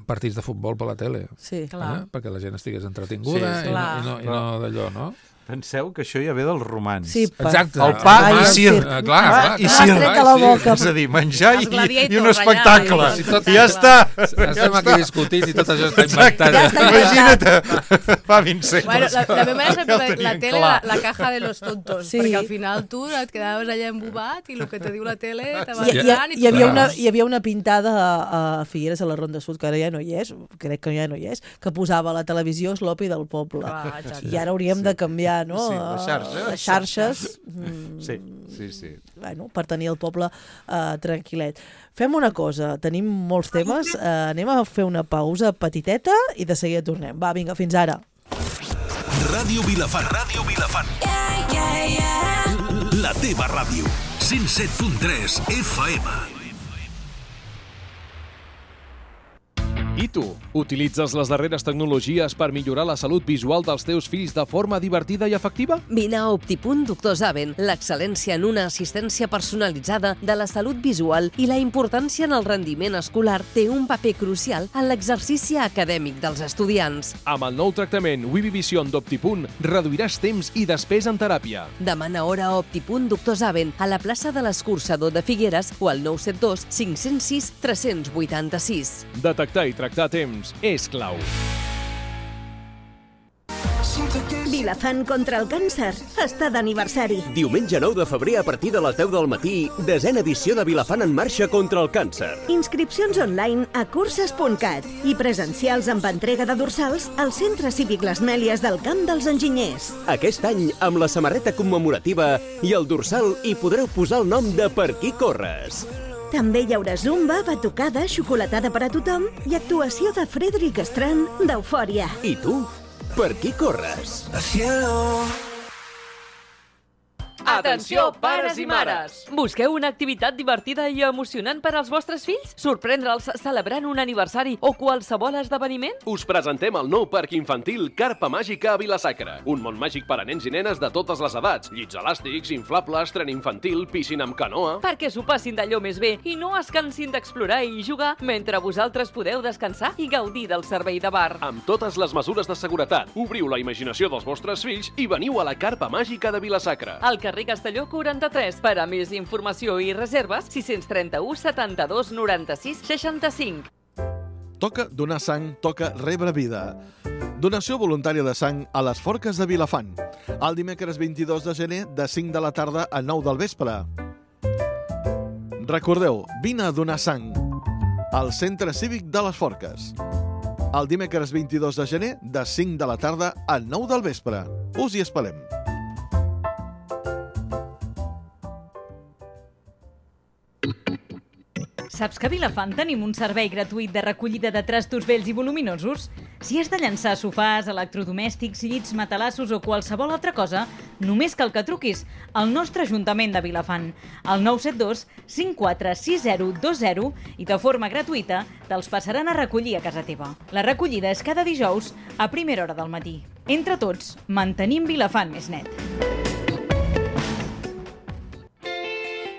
partits de futbol per la tele. Sí, clar. Eh? Perquè la gent estigués entretinguda sí, sí. i no, i no, i no d'allò, no? Penseu que això ja ve dels romans. Sí, exacte. El pa ah, i cir. Ah, clar, clar, i cir. Ah, la boca. És a dir, menjar i, i un espectacle. I, tot, I ja està. Estem aquí discutint i tot això està inventat. Ja imagina't, fa vint segles. Bueno, la, la meva mare sempre la, la tele, la, la caja de los tontos, sí. perquè al final tu et quedaves allà embobat i el que te diu la tele te va mirant i, i, i, hi havia una, hi havia una pintada a, a Figueres, a la Ronda Sud, que ara ja no hi és, crec que ja no hi és, que posava a la televisió Sloppy del poble. Ah, I ara hauríem sí. de canviar, no? Sí, les xarxes. Les xarxes. Sí, sí, sí. Bueno, per tenir el poble uh, tranquil·let. Fem una cosa, tenim molts temes, uh, anem a fer una pausa petiteta i de seguida tornem. Va, vinga, fins ara. Ràdio Vilafant. Ràdio Vilafant. Yeah, yeah, yeah. La teva ràdio. cent set punt tres F M. I tu, utilitzes les darreres tecnologies per millorar la salut visual dels teus fills de forma divertida i efectiva? Vine a Optipunt Doctor Zaven, l'excel·lència en una assistència personalitzada de la salut visual i la importància en el rendiment escolar té un paper crucial en l'exercici acadèmic dels estudiants. Amb el nou tractament Vivivision d'Optipunt reduiràs temps i despesa en teràpia. Demana hora a Optipunt Doctor Zaven a la plaça de l'Escurçador de Figueres o al nou set dos cinc zero sis tres vuit sis. Detectar i tractar a temps és clau. Vilafant contra el càncer està d'aniversari. Diumenge nou de febrer a partir de les deu del matí, desena edició de Vilafant en marxa contra el càncer. Inscripcions online a curses punt cat i presencials amb entrega de dorsals al Centre Cívic Les Mèlies del Camp dels Enginyers. Aquest any, amb la samarreta commemorativa i el dorsal hi podreu posar el nom de Per qui corres. També hi haurà zumba, batucada, xocolatada per a tothom i actuació de Frederic Strand d'Eufòria. I tu? Per qui corres? Atenció, pares i mares! Busqueu una activitat divertida i emocionant per als vostres fills? Sorprendre'ls celebrant un aniversari o qualsevol esdeveniment? Us presentem el nou parc infantil Carpa Màgica a Vila-sacra. Un món màgic per a nens i nenes de totes les edats. Llits elàstics, inflables, tren infantil, piscina amb canoa... Perquè s'ho passin d'allò més bé i no es cansin d'explorar i jugar mentre vosaltres podeu descansar i gaudir del servei de bar. Amb totes les mesures de seguretat, obriu la imaginació dels vostres fills i veniu a la Carpa Màgica de Vila-sacra. Al carrer Castelló quaranta-tres. Per a més informació i reserves, sis tres u setanta-dos noranta-sis seixanta-cinc. Toca donar sang, toca rebre vida. Donació voluntària de sang a les Forques de Vilafant. El dimecres vint-i-dos de gener, de cinc de la tarda a nou del vespre. Recordeu, vine a donar sang al Centre Cívic de les Forques. El dimecres vint-i-dos de gener, de cinc de la tarda a nou del vespre. Us hi esperem. Saps que a Vilafant tenim un servei gratuït de recollida de trastos vells i voluminosos? Si has de llançar sofàs, electrodomèstics, llits, matalassos o qualsevol altra cosa, només cal que truquis al nostre Ajuntament de Vilafant, al nou set dos cinc quatre sis zero dos zero i de forma gratuïta te'ls passaran a recollir a casa teva. La recollida és cada dijous a primera hora del matí. Entre tots, mantenim Vilafant més net.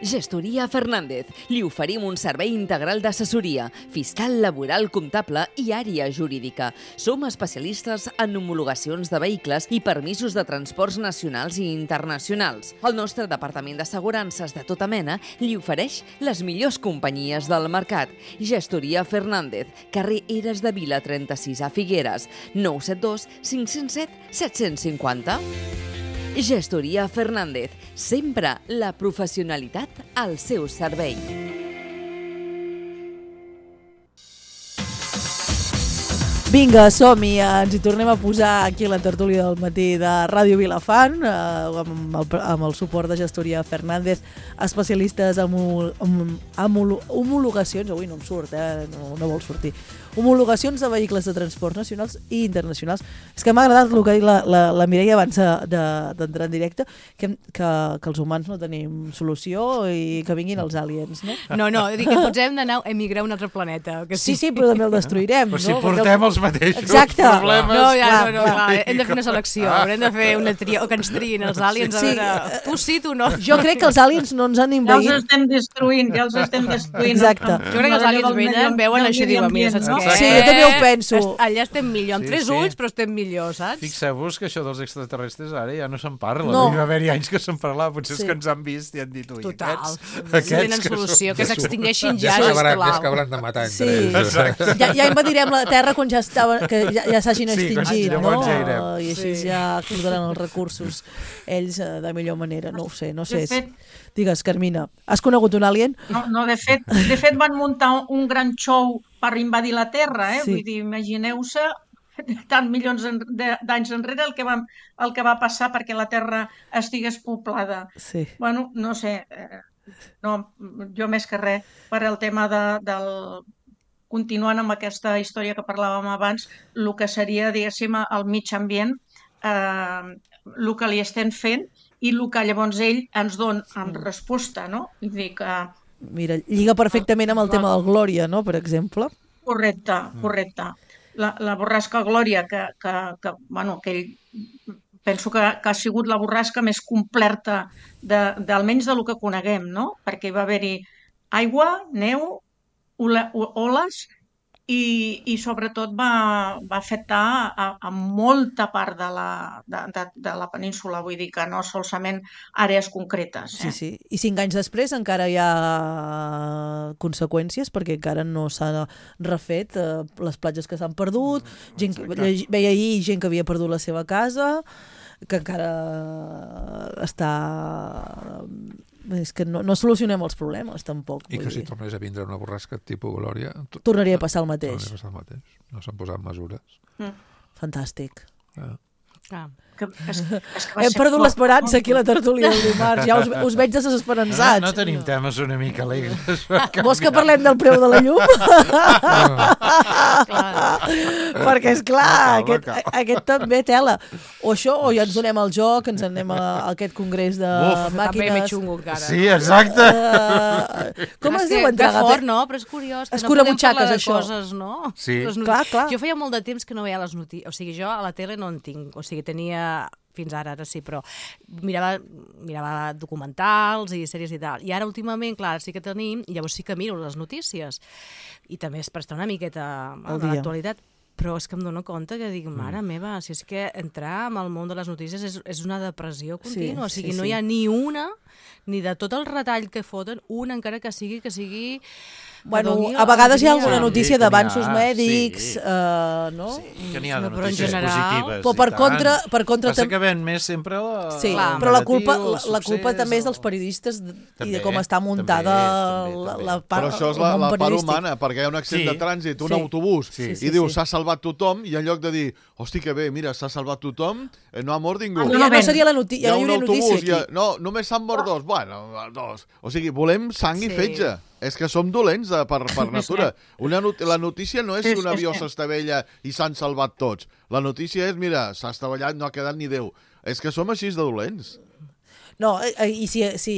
Gestoria Fernández. Li oferim un servei integral d'assessoria, fiscal, laboral, comptable i àrea jurídica. Som especialistes en homologacions de vehicles i permisos de transports nacionals i internacionals. El nostre departament d'assegurances de tota mena li ofereix les millors companyies del mercat. Gestoria Fernández, carrer Eres de Vila trenta-sis a Figueres, nou set dos cinc zero set set cinc zero. Gestoria Fernández, sempre la professionalitat al seu servei. Vinga, som-hi, ens hi tornem a posar aquí a la tertúlia del matí de Ràdio Vilafant, eh, amb, el, amb el suport de Gestoria Fernández, especialistes en, en, en homologacions, avui no em surt, eh, no, no vol sortir, homologacions de vehicles de transports nacionals i internacionals. És que m'ha agradat el que ha dit la, la, la Mireia abans d'entrar de, de, en directe, que, que, que els humans no tenim solució i que vinguin els aliens, no? No, no, dic que potser hem d'anar a emigrar a un altre planeta. Que sí. sí, sí, però també el destruirem, però no? si portem els mateixos Exacte. problemes... No, ja, no, no, clar, hem de fer una selecció, haurem de fer una tria, o que ens triïn els aliens, sí, a veure, tu sí, tu no. Jo crec que els aliens no ens han invaït. Ja els estem destruint, ja els estem destruint. Exacte. Jo crec que els aliens venen, veuen això i diuen, mira, saps què? Sí, jo també ho penso. Allà estem millor, amb Sí, tres sí. ulls, però estem millor, saps? Fixeu-vos que això dels extraterrestres ara ja no se'n parla. No. Hi va haver-hi anys que se'n parlava, potser Sí. és que ens han vist i han dit, ui, Total. aquests... aquests Tenen que solució, són- que s'extingeixin Ja ja, s'acabaran, sisplau. ja s'acabaran de matar entre Sí. ells. Exacte. Ja, ja invadirem la Terra quan ja, estava, que ja, ja s'hagin Sí, quan extingit, llavors no? ja irem. I així Sí. ja explotaran els recursos ells eh, de millor manera. No ho sé, no sé. De fet- Digues, Carmina, has conegut un alien? No, no de, fet, de fet van muntar un gran show per invadir la Terra, eh? Sí. Vull dir, imagineu-se tant milions en- de- d'anys enrere el que, va, el que va passar perquè la Terra estigués poblada. Sí. Bueno, no sé, eh, no, jo més que res, per el tema de, del... Continuant amb aquesta història que parlàvem abans, el que seria, diguéssim, el mig ambient, eh, el que li estem fent i el que llavors ell ens dona en resposta, no? Vull dir que... Mira, lliga perfectament amb el tema del Glòria, no?, per exemple. Correcte, correcte. La, la borrasca Glòria, que, que, que, bueno, que ell, penso que, que ha sigut la borrasca més completa, de, de, almenys del que coneguem, no? Perquè hi va haver-hi aigua, neu, ola, oles, i, i sobretot va, va afectar a, a molta part de la, de, de, de la península, vull dir que no solament àrees concretes. Eh? Sí, sí. I cinc anys després encara hi ha conseqüències perquè encara no s'ha refet eh, les platges que s'han perdut, gent que, veia ahir gent que havia perdut la seva casa, que encara està... És que no, no solucionem els problemes, tampoc. I que si tornés a vindre una borrasca tipus Glòria... Tornaria a passar el mateix. Tornaria a passar el mateix. No s'han posat mesures. Mm. Fantàstic. Ja. Ah. Que, és, és que Hem perdut l'esperança aquí a la tertúlia del dimarts. Ja us, us veig desesperançats. No, no tenim temes una mica alegres. Vols que parlem del preu de la llum? Perquè, esclar, aquest, aquest també tela. O això, o ja ens donem el joc, ens anem a, a aquest congrés de Uf, màquines. També xungo, encara. Sí, exacte. Uh, com es diu entregar? Que fort, no? Però és curiós. Que Escura no butxaques, això. Coses, no? Sí. Clar, clar. Jo feia molt de temps que no veia les notícies. O sigui, jo a la tele no en tinc. O sigui, tenia fins ara, ara sí, però mirava, mirava documentals i sèries i tal. I ara, últimament, clar, sí que tenim, i llavors sí que miro les notícies. I també és per estar una miqueta a l'actualitat. Però és que em dono compte que dic, mare meva, si és que entrar en el món de les notícies és, és una depressió contínua. Sí, o sigui, sí, no sí. hi ha ni una, ni de tot el retall que foten, una encara que sigui, que sigui... Bueno, a vegades hi ha alguna notícia d'avanços mèdics, uh, no? Sí, que n'hi ha de notícies positives. Però per contra... Per contra Passa que ven més sempre la... Sí, però la culpa, la, la culpa també és dels periodistes i de com està muntada la, la part... Però això és la, la part humana, perquè hi ha un accident sí. de trànsit, un sí. autobús, sí. i sí, diu, s'ha sí. salvat tothom, i en lloc de dir, hosti, que bé, mira, s'ha salvat tothom, no ha mort ningú. Ja no seria la notícia, ja no hi hauria notícia aquí. Ha, no, només s'han mort dos. Bueno, dos. O sigui, volem sang i fetge. És que som dolents de, per, per natura. Una not la notícia no és si un avió s'estavella i s'han salvat tots. La notícia és, mira, s'ha estavellat, no ha quedat ni Déu. És que som així de dolents. No, i si, si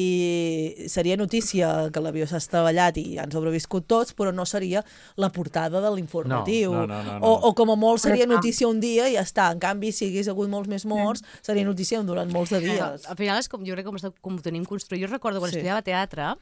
seria notícia que l'avió s'ha estavellat i han sobreviscut tots, però no seria la portada de l'informatiu. No, no, no, no, no. O, o com a molt seria notícia un dia i ja està. En canvi, si hagués hagut molts més morts, seria notícia durant molts de dies. Al final és com, jo crec com, com ho tenim construït. Jo recordo quan sí. estudiava teatre,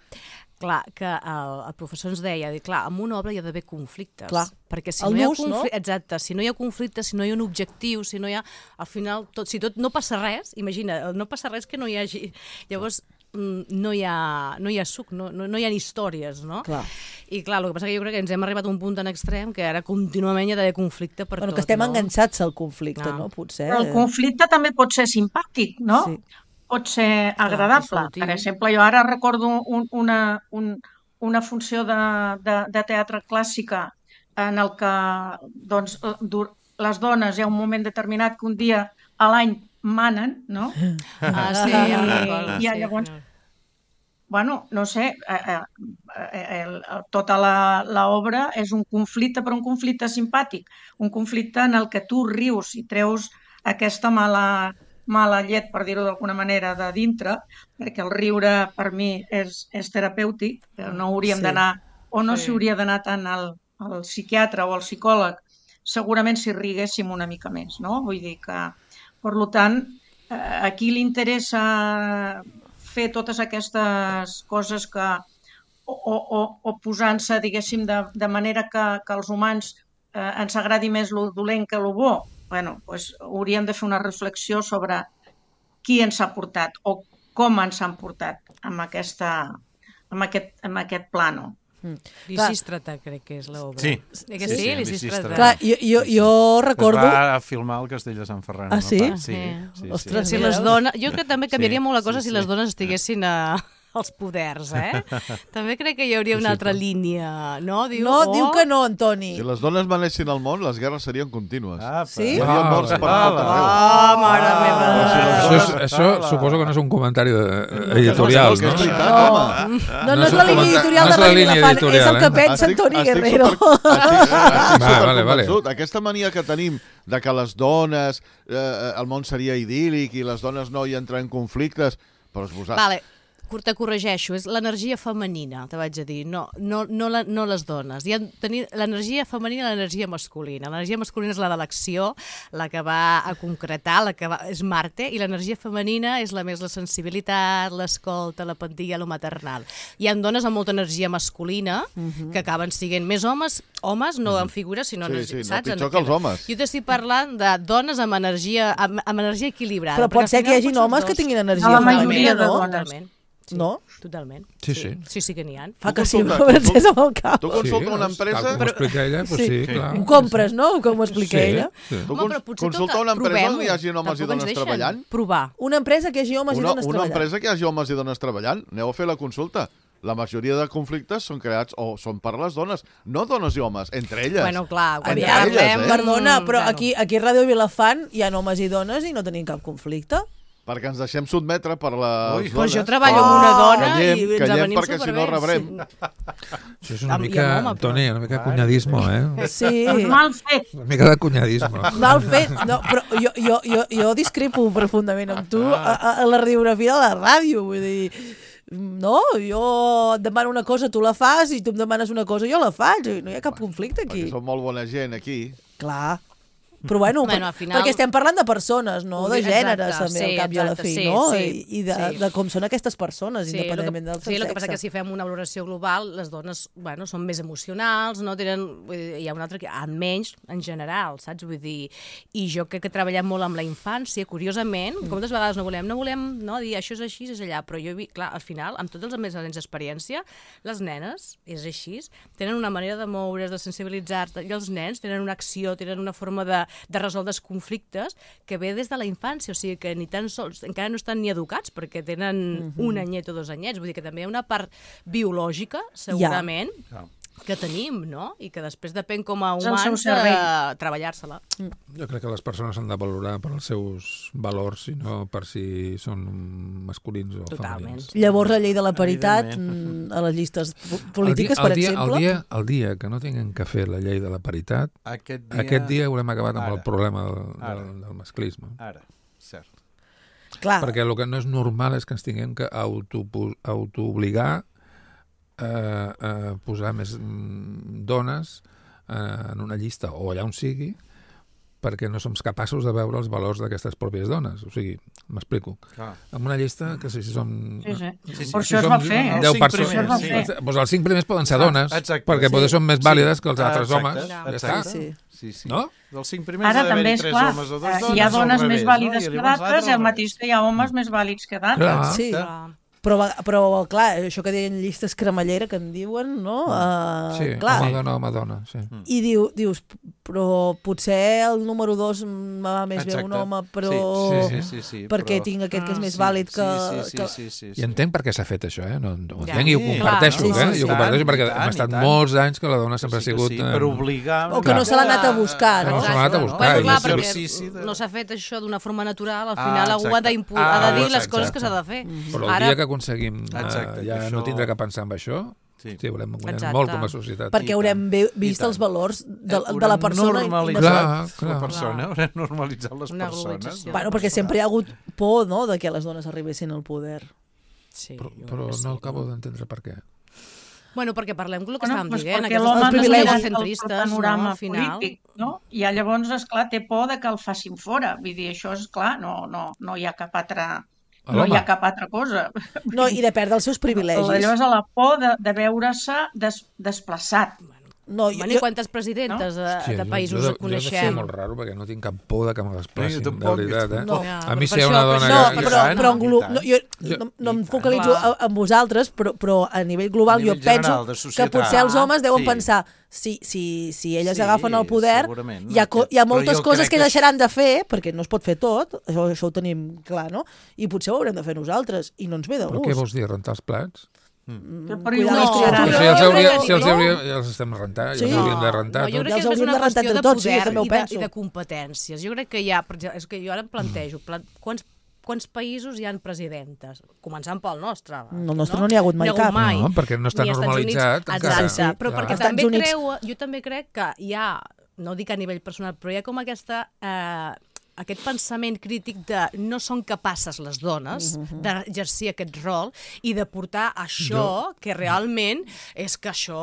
clar, que el, el professor ens deia, clar, en una obra hi ha d'haver conflictes. Clar. Perquè si no hi ha conflicte, no? Exacte, si no hi ha conflicte, si no hi ha un objectiu, si no hi ha... Al final, tot, si tot no passa res, imagina, no passa res que no hi hagi... Llavors, no hi ha, no hi ha suc, no, no, no hi ha històries, no? Clar. I clar, el que passa que jo crec que ens hem arribat a un punt tan extrem que ara contínuament hi ha d'haver conflicte per bueno, tot, que estem no? enganxats al conflicte, no? no? Potser... Però el conflicte també pot ser simpàtic, no? Sí. Pot ser agradable. Clar, per exemple, jo ara recordo un, una, un, una funció de, de, de teatre clàssica en el que doncs, les dones hi ha un moment determinat que un dia a l'any manen, no? Ah, sí, I, ja recordo. I llavors, sí. bueno, no sé, eh, eh, el, tota l'obra és un conflicte, però un conflicte simpàtic, un conflicte en el que tu rius i treus aquesta mala, mala llet, per dir-ho d'alguna manera, de dintre, perquè el riure per mi és, és terapèutic, no hauríem sí. d'anar, o no s'hi sí. hauria d'anar tant al, al psiquiatre o al psicòleg, segurament si riguéssim una mica més, no? Vull dir que, per tant, a qui li interessa fer totes aquestes coses que, o, o, o posant-se, diguéssim, de, de manera que, que els humans eh, ens agradi més lo dolent que lo bo, bueno, pues, hauríem de fer una reflexió sobre qui ens ha portat o com ens han portat amb, aquesta, amb, aquest, amb aquest plano. Mm. Lisístrata, crec que és l'obra. Sí. Eh que sí, sí, sí Lisístrata. Clar, jo, jo, jo recordo... Es va filmar al Castell de Sant Ferran. Ah, sí? No? Sí, sí, sí. Ostres, sí. Si les dones... Jo crec que també canviaria sí, molt la cosa sí, si les dones estiguessin a... els poders, eh? També crec que hi hauria una altra línia, no? Diu, no, oh. diu que no, Antoni. Si les dones manessin al món, les guerres serien contínues. Ah, sí? Hi hauria morts per tot arreu. Ah, mare meva. Això, és, això suposo que no és un comentari editorial, no? No, no, no és la línia editorial de Radio Vilafant, és el que pensa Antoni Guerrero. Estic convençut. Aquesta mania que tenim de que les dones, el món seria idíl·lic i les dones no hi entren en conflictes, però és vosaltres. Vale. te corregeixo, és l'energia femenina, te vaig a dir, no, no, no, la, no les dones. Hi ha tenir l'energia femenina i l'energia masculina. L'energia masculina és la de l'acció, la que va a concretar, la que va, és Marte, i l'energia femenina és la més la sensibilitat, l'escolta, la pandilla, lo maternal. Hi ha dones amb molta energia masculina uh-huh. que acaben sent més homes, homes no en figures, sinó sí, energia, sí, saps? no pitjor que els homes. Jo t'estic parlant de dones amb energia, amb, amb energia equilibrada. Però pot ser que hi hagi homes que tinguin energia la femenina, majoria de no? Totalment. Sí, no? Totalment. Sí, sí. Sí, sí que n'hi ha. Fa que sí, m'avencés amb el cap. Tu consulta sí, una empresa... Tal com ho explica ella, doncs sí, sí, clar. Ho compres, no? Com ho explica sí, ella. Sí. Tu cons consulta una empresa on hi hagi homes i dones treballant? Provar. Una empresa que hi hagi homes una, i dones una treballant. Una empresa que hi hagi homes i dones treballant. Aneu a fer la consulta. La majoria de conflictes són creats o són per les dones, no dones i homes, entre elles. Bueno, clar, entre aviam, elles, eh? Perdona, però Bueno. aquí, aquí a Ràdio Vilafant hi ha homes i dones i no tenim cap conflicte. Perquè ens deixem sotmetre per les Ui, dones. però jo treballo amb una dona callem, i ens callem avenim perquè si no superbé, rebrem. sí. Això és una Amb- i mica, amb home, però- Toni, una mica cunyadismo, eh? Sí. Mal fet. Una mica de cunyadismo. Mal fet. No, però jo, jo, jo, jo discrepo profundament amb tu a, a, a la radiografia de la ràdio. Vull dir, no, jo et demano una cosa, tu la fas, i tu em demanes una cosa, jo la faig. No hi ha cap conflicte aquí. Perquè som molt bona gent aquí. Clar. Però bueno, Bueno, per, al final- perquè estem parlant de persones, no de Exacte, gèneres, també, sí, al cap i a la exacte, fi, sí, no? sí, I, i de, sí. de com són aquestes persones, Sí, independentment el del que, seu sí, el que passa que sexe. si fem una valoració global, les dones, bueno, són més emocionals, no tenen, vull dir, hi ha un altre que han menys en general, saps? Vull dir, i jo crec que treballem molt amb la infància, curiosament, mm. com moltes vegades no volem, no volem no, dir això és així, és allà, però jo he vist, clar, al final, amb tots els més anys d'experiència, les nenes, és així, tenen una manera de moure's, de sensibilitzar-se, i els nens tenen una acció, tenen una forma de, de resoldre els conflictes que ve des de la infància, o sigui que ni tan sols, encara no estan ni educats perquè tenen uh-huh. un anyet o dos anyets, vull dir que també hi ha una part biològica, segurament, ja. que tenim, no? I que després depèn com a És el seu humans cervell. de treballar-se-la. Jo crec que les persones s'han de valorar per als seus valors i no per si són masculins o Totalment. femenins. Llavors la llei de la paritat Evidentment. mm, a les llistes po- polítiques, el dia, per el dia, exemple... El dia, el dia que no tinguem que fer la llei de la paritat, Aquest dia, aquest dia haurem acabat amb Ara. el problema del, Ara. del, del masclisme. Ara, cert. Clar, Perquè el que no és normal és que ens tinguem que auto, autoobligar a, a posar més mm, dones eh, en una llista o allà on sigui, perquè no som capaços de veure els valors d'aquestes pròpies dones. O sigui, m'explico. Clar. En una llista que si som... Sí, sí. Sí, sí. Per això es va fer. Els deu cinc persones. primers, sí. Doncs els cinc primers poden ser dones, Exacte. perquè Sí. potser són més vàlides que els Ah, altres exacte, homes. Ja exacte. està. sí. Sí, sí. No? Dels cinc primers Ara ha d'haver-hi també és tres clar, homes o dos eh, dones, hi ha o al dones revés, més vàlides no? I que llavors d'altres, l'altre i el al mateix revés. que hi ha homes més vàlids que d'altres. Clar. Sí. Clar. Però, però, clar, això que deien llistes cremallera, que en diuen, no? Uh, Sí, clar. home, dona, home, dona. Sí. I diu, dius, però potser el número dos me va més bé un Exacte. home, però... Sí, sí, sí, sí, perquè però- tinc aquest que és més Sí, vàlid que... sí, sí, que... sí, sí, I entenc per què s'ha fet això, eh? No, no ho Ja. entenc i ho Sí, comparteixo, clar, eh? sí, sí, I ho sí. comparteixo I perquè tant, hem i estat tant. molts anys que la dona sempre ha Sí que sigut... sí, eh, per obligar... O que no se l'ha anat a buscar, Que no? no se l'ha anat a buscar. Bueno, i clar, és perquè exercici de- no s'ha fet això d'una forma natural, al Ah, final algú ha, exacte. d'impu- ha de Ah, dir les exacte. coses que s'ha de fer. Però el Ara, dia que aconseguim eh, Exacte, ja que no això- tindre que pensar en això, Sí. sí, haurem guanyat Exacte. molt com a societat. Perquè I haurem tant, ve- i vist tant. els valors de, Eh, de la persona. i- i normalitzat no- Clar, clar. la persona, haurem normalitzat les Una persones. globalització. Bueno, perquè sempre hi ha hagut por, no?, de que les dones arribessin al poder. sí, Però, jo però crec que sí. no acabo d'entendre per què. Bueno, perquè parlem del que Bueno, estàvem doncs dient, perquè aquestes l'home els no privilegis mira el centristes, panorama no, al final. polític, no? I llavors, esclar, té por de que el facin fora. Vull dir, això és clar, no, no, no hi ha cap altra... No Home. hi ha cap altra cosa. No, i de perdre els seus privilegis. Allò és a la por de, de veure-se des, desplaçat. No, Bueno, I quantes presidentes de, Hòstia, de jo- països jo, de, coneixem? Jo de molt raro, perquè no tinc cap por de que me desplacin, Jo de tampoc, veritat. jo Eh? tampoc. Ja, A mi però si hi ha per una això- dona No, que... però, tant, però en i glo... tant. no, jo Jo- no, no em i tant. focalitzo Clar. a- en vosaltres, però, però a nivell global A nivell jo penso general, de que societat. potser els homes deuen Sí. pensar si, si, si elles Sí, agafen el poder, segurament, hi ha, co- hi ha però moltes jo coses crec que que deixaran de fer, perquè no es pot fer tot, això, això ho tenim clar, no? I potser ho haurem de fer nosaltres, i no ens ve de Però què gust. vols dir, rentar els plats? Que Cuidar per les no, criatures. Però si els, jo hauria, crec que si els no. hauria, ja els estem rentant, ja Sí. els hauríem de rentar. No, jo tots. crec Ja que els és hauríem una de rentar qüestió de entre tots, sí, jo poder també ho i, de, penso. i de competències. Jo crec que hi ha, per exemple, és que jo ara em plantejo, plan, quants, quants països hi han presidentes? Començant pel nostre. No, el nostre no n'hi ha hagut mai cap. Mai. No, perquè no està Ni als Estats normalitzat Units. encara. Exacte, Sí, però clar. perquè Als també Estats Units- creu, jo també crec que hi ha, no dic a nivell personal, però hi ha com aquesta... Eh, aquest pensament crític de no són capaces les dones uh-huh. d'exercir aquest rol i de portar això, jo... que realment és que això,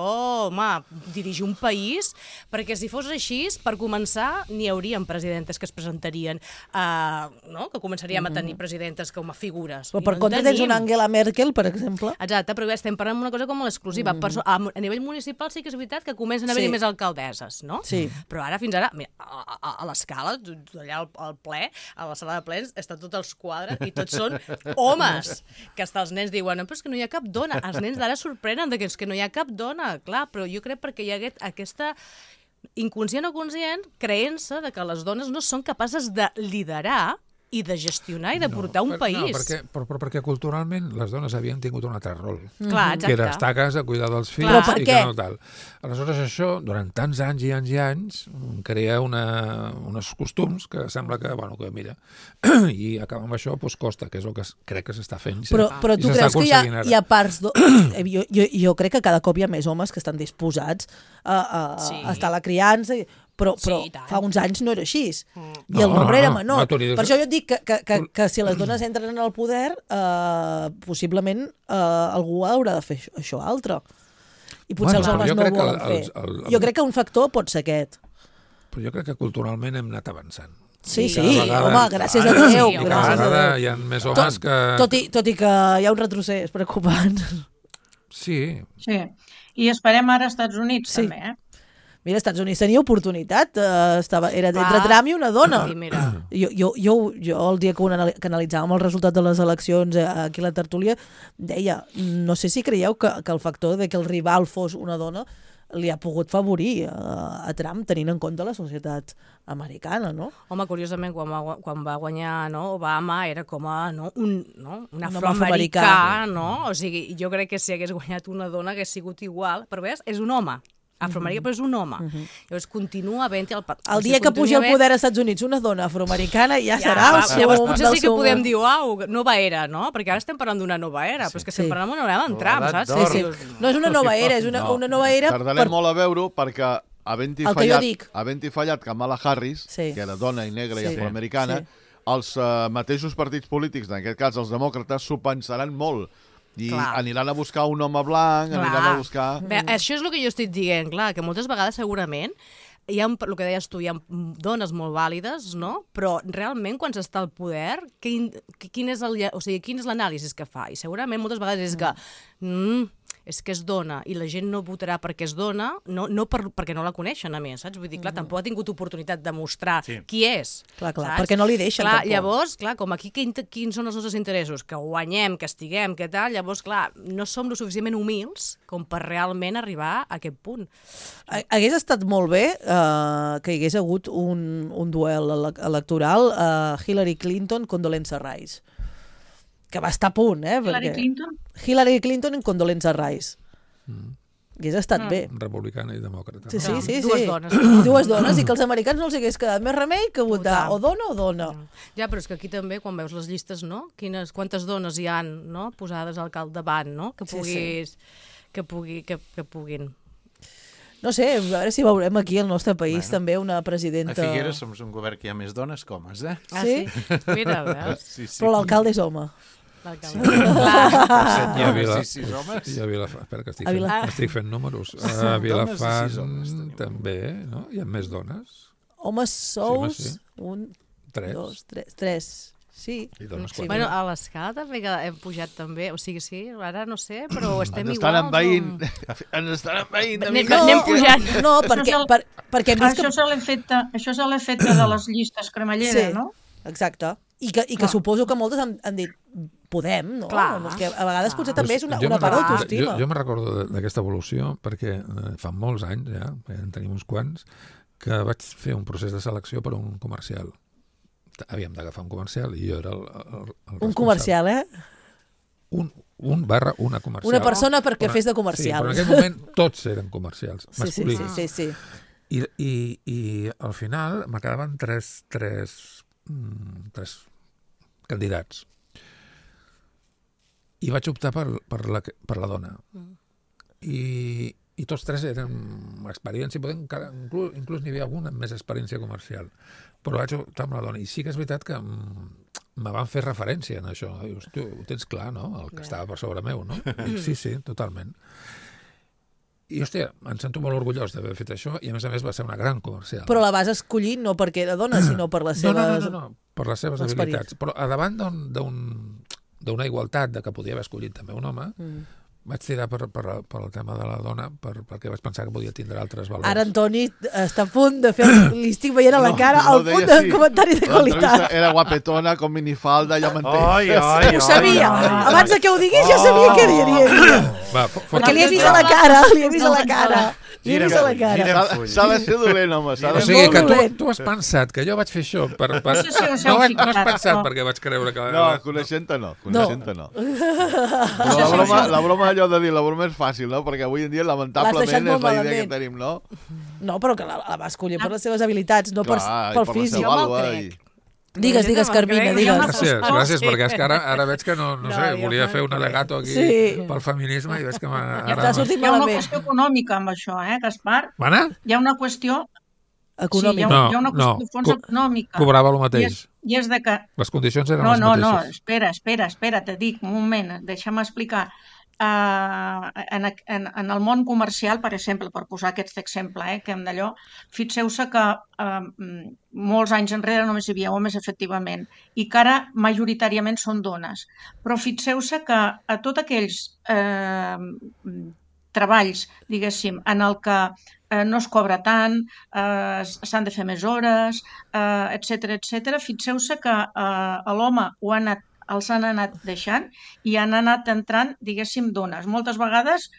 home, dirigir un país, perquè si fos així, per començar, n'hi haurien presidentes que es presentarien, uh, no? que començaríem uh-huh. a tenir presidentes com a figures. Però per no contra tens una Angela Merkel, per exemple. Exacte, però estem parlant d'una cosa com l'exclusiva. Uh-huh. A, a nivell municipal sí que és veritat que comencen a haver-hi sí. més alcaldesses, no? Sí. Però ara, fins ara, mira, a, a, a l'escala, allà al, al ple, a la sala de plens, estan tots els quadres i tots són homes. Que hasta els nens diuen, no, però és que no hi ha cap dona. Els nens d'ara sorprenen de que és que no hi ha cap dona. Clar, però jo crec perquè hi ha aquest, aquesta inconscient o conscient creença de que les dones no són capaces de liderar i de gestionar i de portar no, un per, país. No, perquè, però, però perquè culturalment les dones havien tingut un altre rol. Clar, exacte. Que era estar a casa, cuidar dels fills però per i què? que no tal. Aleshores això, durant tants anys i anys i anys, crea una, uns costums que sembla que, bueno, que mira, i acabar amb això doncs costa, que és el que crec que s'està fent. Però, però tu creus que hi ha, hi ha parts... Do... jo, jo, jo crec que cada cop hi ha més homes que estan disposats a, a, sí. a estar a la criança... I... Però, però sí, fa uns anys no era així. Mm. I no, el nombre no, era menor. No, no, per això jo et dic que, que, que, que si les dones entren en el poder, eh, possiblement eh, algú haurà de fer això, això altre. I potser bueno, els homes no ho volen el, fer. El, el, el... Jo crec que un factor pot ser aquest. Però jo crec que culturalment hem anat avançant. Sí, sí, vegada, home, gràcies a Déu. Sí, cada vegada hi ha més homes tot, que... Tot i, tot i que hi ha un retrocés preocupant. Sí. Sí, i esperem ara als Estats Units sí. també, eh? Mira, als Estats Units tenia oportunitat, uh, estava, era entre Trump i una dona. Sí, mira. Jo, jo, jo, jo el dia que, una, que analitzàvem el resultat de les eleccions aquí a la tertúlia, deia, no sé si creieu que, que el factor de que el rival fos una dona li ha pogut favorir a, a Trump tenint en compte la societat americana, no? Home, curiosament, quan va, quan va guanyar no, Obama era com a no, un, no, un un afroamericà, afroamericà, no? O sigui, jo crec que si hagués guanyat una dona hagués sigut igual, però veus, és un home. Afroamericà, però és un home. Uh-huh. Llavors continua havent-hi el... El dia que pugi al poder als Estats Units una dona afroamericana ja, ja serà el seu... Llavors potser sí que podem dir, uau, nova era, no? Perquè ara estem parlant d'una nova era, sí. però és que estem sí. parlant d'una nova era en Trump, saps? Sí, sí. No és una nova era, és una, no. una nova era... Tardarem per... molt a veure-ho perquè havent-hi fallat, havent fallat Kamala Harris, sí. que era dona i negra sí. i afroamericana, sí. els uh, mateixos partits polítics, en aquest cas els demòcrates, s'ho pensaran molt. I clar. Aniran a buscar un home blanc, clar. Aniran a buscar... Bé, això és el que jo estic dient, clar, que moltes vegades segurament hi ha, el que deies tu, hi ha dones molt vàlides, no? Però realment quan s'està al poder, quin, quin és el, o sigui, quin és l'anàlisi que fa? I segurament moltes vegades és que... Mm, és que és dona i la gent no votarà perquè és dona, no, no per, perquè no la coneixen, a més, saps? Vull dir, clar, tampoc ha tingut oportunitat de mostrar sí. qui és. Clar, clar, saps? Perquè no li deixen clar, tampoc. Llavors, clar, com aquí quin, quins són els nostres interessos? Que guanyem, que estiguem, que tal, llavors, clar, no som lo suficientment humils com per realment arribar a aquest punt. Hagués estat molt bé uh, que hi hagués hagut un, un duel electoral uh, Hillary Clinton, Condoleezza Rice. Que va estar a punt, eh? Hillary perquè... Clinton? Hillary Clinton en Condoleezza Rice. Mm. Hauria estat mm. bé. Republicana i demòcrata. Sí, sí, sí. sí. Dues dones. Dues dones i que els americans no els hagués quedat més remei que votar o dona o dona. Ja, però és que aquí també, quan veus les llistes, no? Quines, quantes dones hi han, no? Posades al capdavant, no? Que puguis... Sí, sí. Que, pugui, que, que puguin... No sé, a veure si veurem aquí al nostre país bueno, també una presidenta... A Figueres som un govern que hi ha més dones que homes, eh? Ah, sí? sí? Mira, veus? Sí, sí. Però l'alcalde és home. L'alcalde. Sí. Clar. I a Vilafant... Sí, sí, homes. I a Vilafant... Espera, que estic fent, Vila... estic fent números. A Vilafant també, no? Hi ha més dones. Homes sous, sí, sí. un, tres. dos, tres, tres. Sí. I dones sí. Bueno, a l'escala també que hem pujat també, o sigui, sí, ara no sé, però estem ens igual. Envaint, o... Ens estan envaint. Anem, no, anem pujant. No, perquè, per, perquè hem vist això que... és l'efecte això és l'efecte de les llistes cremallera, sí, no? Exacte. I que, i que suposo que moltes han, han dit podem, no? Clar, que a vegades potser clar. també és una, jo una part d'autoestima. Jo, jo me recordo d'aquesta evolució perquè eh, fa molts anys, ja, en tenim uns quants, que vaig fer un procés de selecció per a un comercial. Havíem d'agafar un comercial i jo era el, el, el un comercial, eh? Un, un barra una comercial. Una persona perquè una, fes de comercial. Sí, però en aquell moment tots eren comercials, masculins. Sí, sí, sí. sí, sí. I, i, I al final me quedaven tres, tres, mm, tres candidats. I vaig optar per, per, la, per la dona. Mm. I, i tots tres eren experiència, podem, inclús, inclús n'hi havia alguna amb més experiència comercial. Però vaig optar amb la dona. I sí que és veritat que me van fer referència en això. Dius, tu ho tens clar, no? El que estava per sobre meu, no? Sí, sí, totalment. I, hòstia, em sento molt orgullós d'haver fet això i, a més a més, va ser una gran comercial. Però la vas escollir no perquè era dona, sinó per les seves... No, no, no, no, per les seves habilitats. Però a davant d'una igualtat de que podia haver escollit també un home, mm. vaig tirar per, per, per el tema de la dona per, perquè vaig pensar que podia tindre altres valors. Ara Antoni està a punt de fer... Li estic veient a la cara no, no, el punt de sí. comentari de qualitat. Era guapetona, com minifalda, ja m'entens. Ai, ai, ho sabia. Ai, ai, Abans de que ho diguis ja sabia què diria. Va, perquè li he vist a la cara, li he vist a la cara. Li he vist a la cara. S'ha de ser dolent, home. O sigui, que tu, tu has pensat que jo vaig fer això per... per... No, sí, sí, no, no has pensat no. perquè vaig creure que... No, coneixent-te no, coneixent-te no. Però la broma, la broma allò de dir, la broma és fàcil, no? Perquè avui en dia, lamentablement, és la idea que tenim, no? No, però que la, la va escollir per les seves habilitats, no Clar, per, pel per físic. Jo me'l crec. Digues, digues, Carmina, digues. Gràcies, gràcies, perquè és que ara, ara veig que no, no, no sé, volia fer un alegato aquí sí. pel feminisme i veig que m'ha... Ara... Hi ha una qüestió econòmica amb això, eh, Gaspar? Mana? Hi ha una qüestió... Econòmica. Sí, hi ha, hi ha una qüestió no, de fons econòmica. Cobrava el mateix. I és, i és de que... Les condicions eren no, les no, mateixes. No, no, espera, espera, espera, te dic, un moment, deixa'm explicar. Uh, en, en, en el món comercial, per exemple, per posar aquest exemple, eh, que hem d'allò, fixeu-se que uh, molts anys enrere només hi havia homes, efectivament, i que ara majoritàriament són dones. Però fixeu-se que a tots aquells eh, treballs, diguéssim, en el que eh, no es cobra tant, eh, s'han de fer més hores, eh, etcètera, etcètera, fixeu-se que eh, l'home ho ha anat els han anat deixant i han anat entrant, diguéssim, dones. Moltes vegades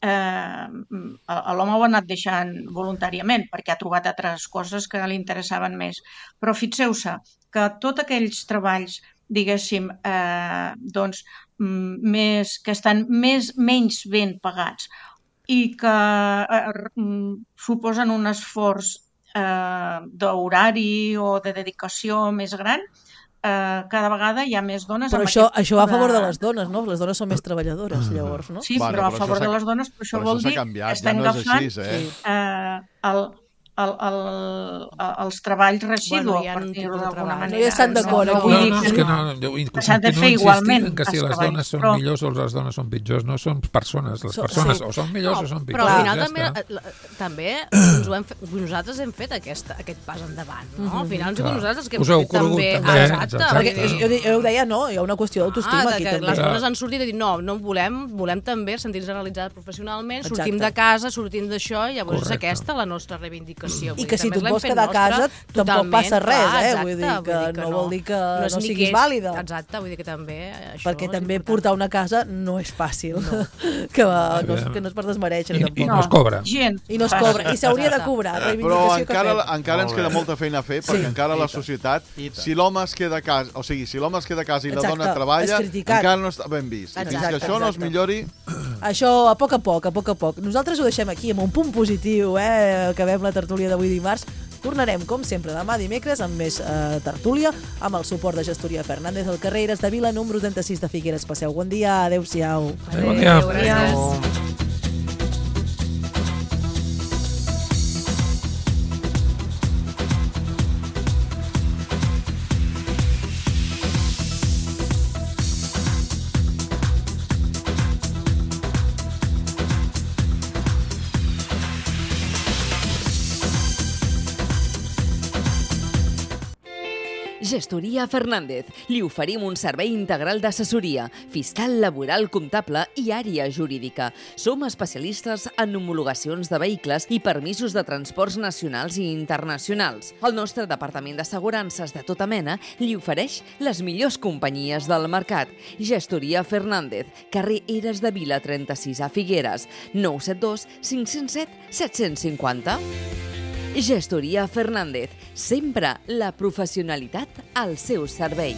eh, l'home ho ha anat deixant voluntàriament perquè ha trobat altres coses que li interessaven més. Però fixeu-se que tots aquells treballs, diguéssim, eh, doncs, més, que estan més, menys ben pagats i que eh, suposen un esforç eh, d'horari o de dedicació més gran, Uh, cada vegada hi ha més dones... Però això, això va a favor de les dones, no? Les dones són més treballadores, llavors, no? Sí, bueno, però a favor de les dones, però això vol dir que estan ja no agafant eh? uh, el... El, el, els treballs residus, bueno, per dir-ho d'alguna manera. No hi estan d'acord aquí. No, no, és que no, jo s'han de fer igualment. Que si les dones són però... millors o les dones són pitjors, no són persones. Les persones sí. o són millors no, o són pitjors. Però al final ja també, també ens ho hem fet, nosaltres hem fet aquest, aquest pas endavant, no? Al final hem sigut nosaltres que hem fet també. Exacte. Perquè jo ho deia, no, hi ha una qüestió d'autoestima aquí també. Les dones han sortit i dit, no, no volem, volem també sentir-nos realitzades professionalment, sortim de casa, sortim d'això, i llavors és aquesta la nostra reivindicació. I que si tu et vols quedar a casa tampoc passa res, eh? Vull dir que no vol dir que no siguis vàlida. Exacte, vull dir que també... Perquè també portar una casa no és fàcil, que no és per desmereixer tampoc. I no es cobra. I no es cobra, i s'hauria de cobrar. Però encara ens queda molta feina a fer, perquè encara la societat, si l'home es queda a casa, o sigui, si l'home es queda a casa i la dona treballa, encara no està ben vist. I fins que això no es millori... Això a poc a poc, a poc a poc. Nosaltres ho deixem aquí, amb un punt positiu, eh? Acabem la tertúlia d'avui dimarts. Tornarem, com sempre, demà dimecres amb més eh, tertúlia, amb el suport de Gestoria Fernández al carrer Eres de Vila, número trenta-sis de Figueres. Passeu bon dia, adeu-siau. Adéu, bon dia. Gràcies. Gestoria Fernández. Li oferim un servei integral d'assessoria, fiscal, laboral, comptable i àrea jurídica. Som especialistes en homologacions de vehicles i permisos de transports nacionals i internacionals. El nostre departament d'assegurances de tota mena li ofereix les millors companyies del mercat. Gestoria Fernández, carrer Eres de Vila trenta-sis a Figueres, nou set dos cinc zero set set cinc zero. Gestoria Fernández, sempre la professionalitat al seu servei.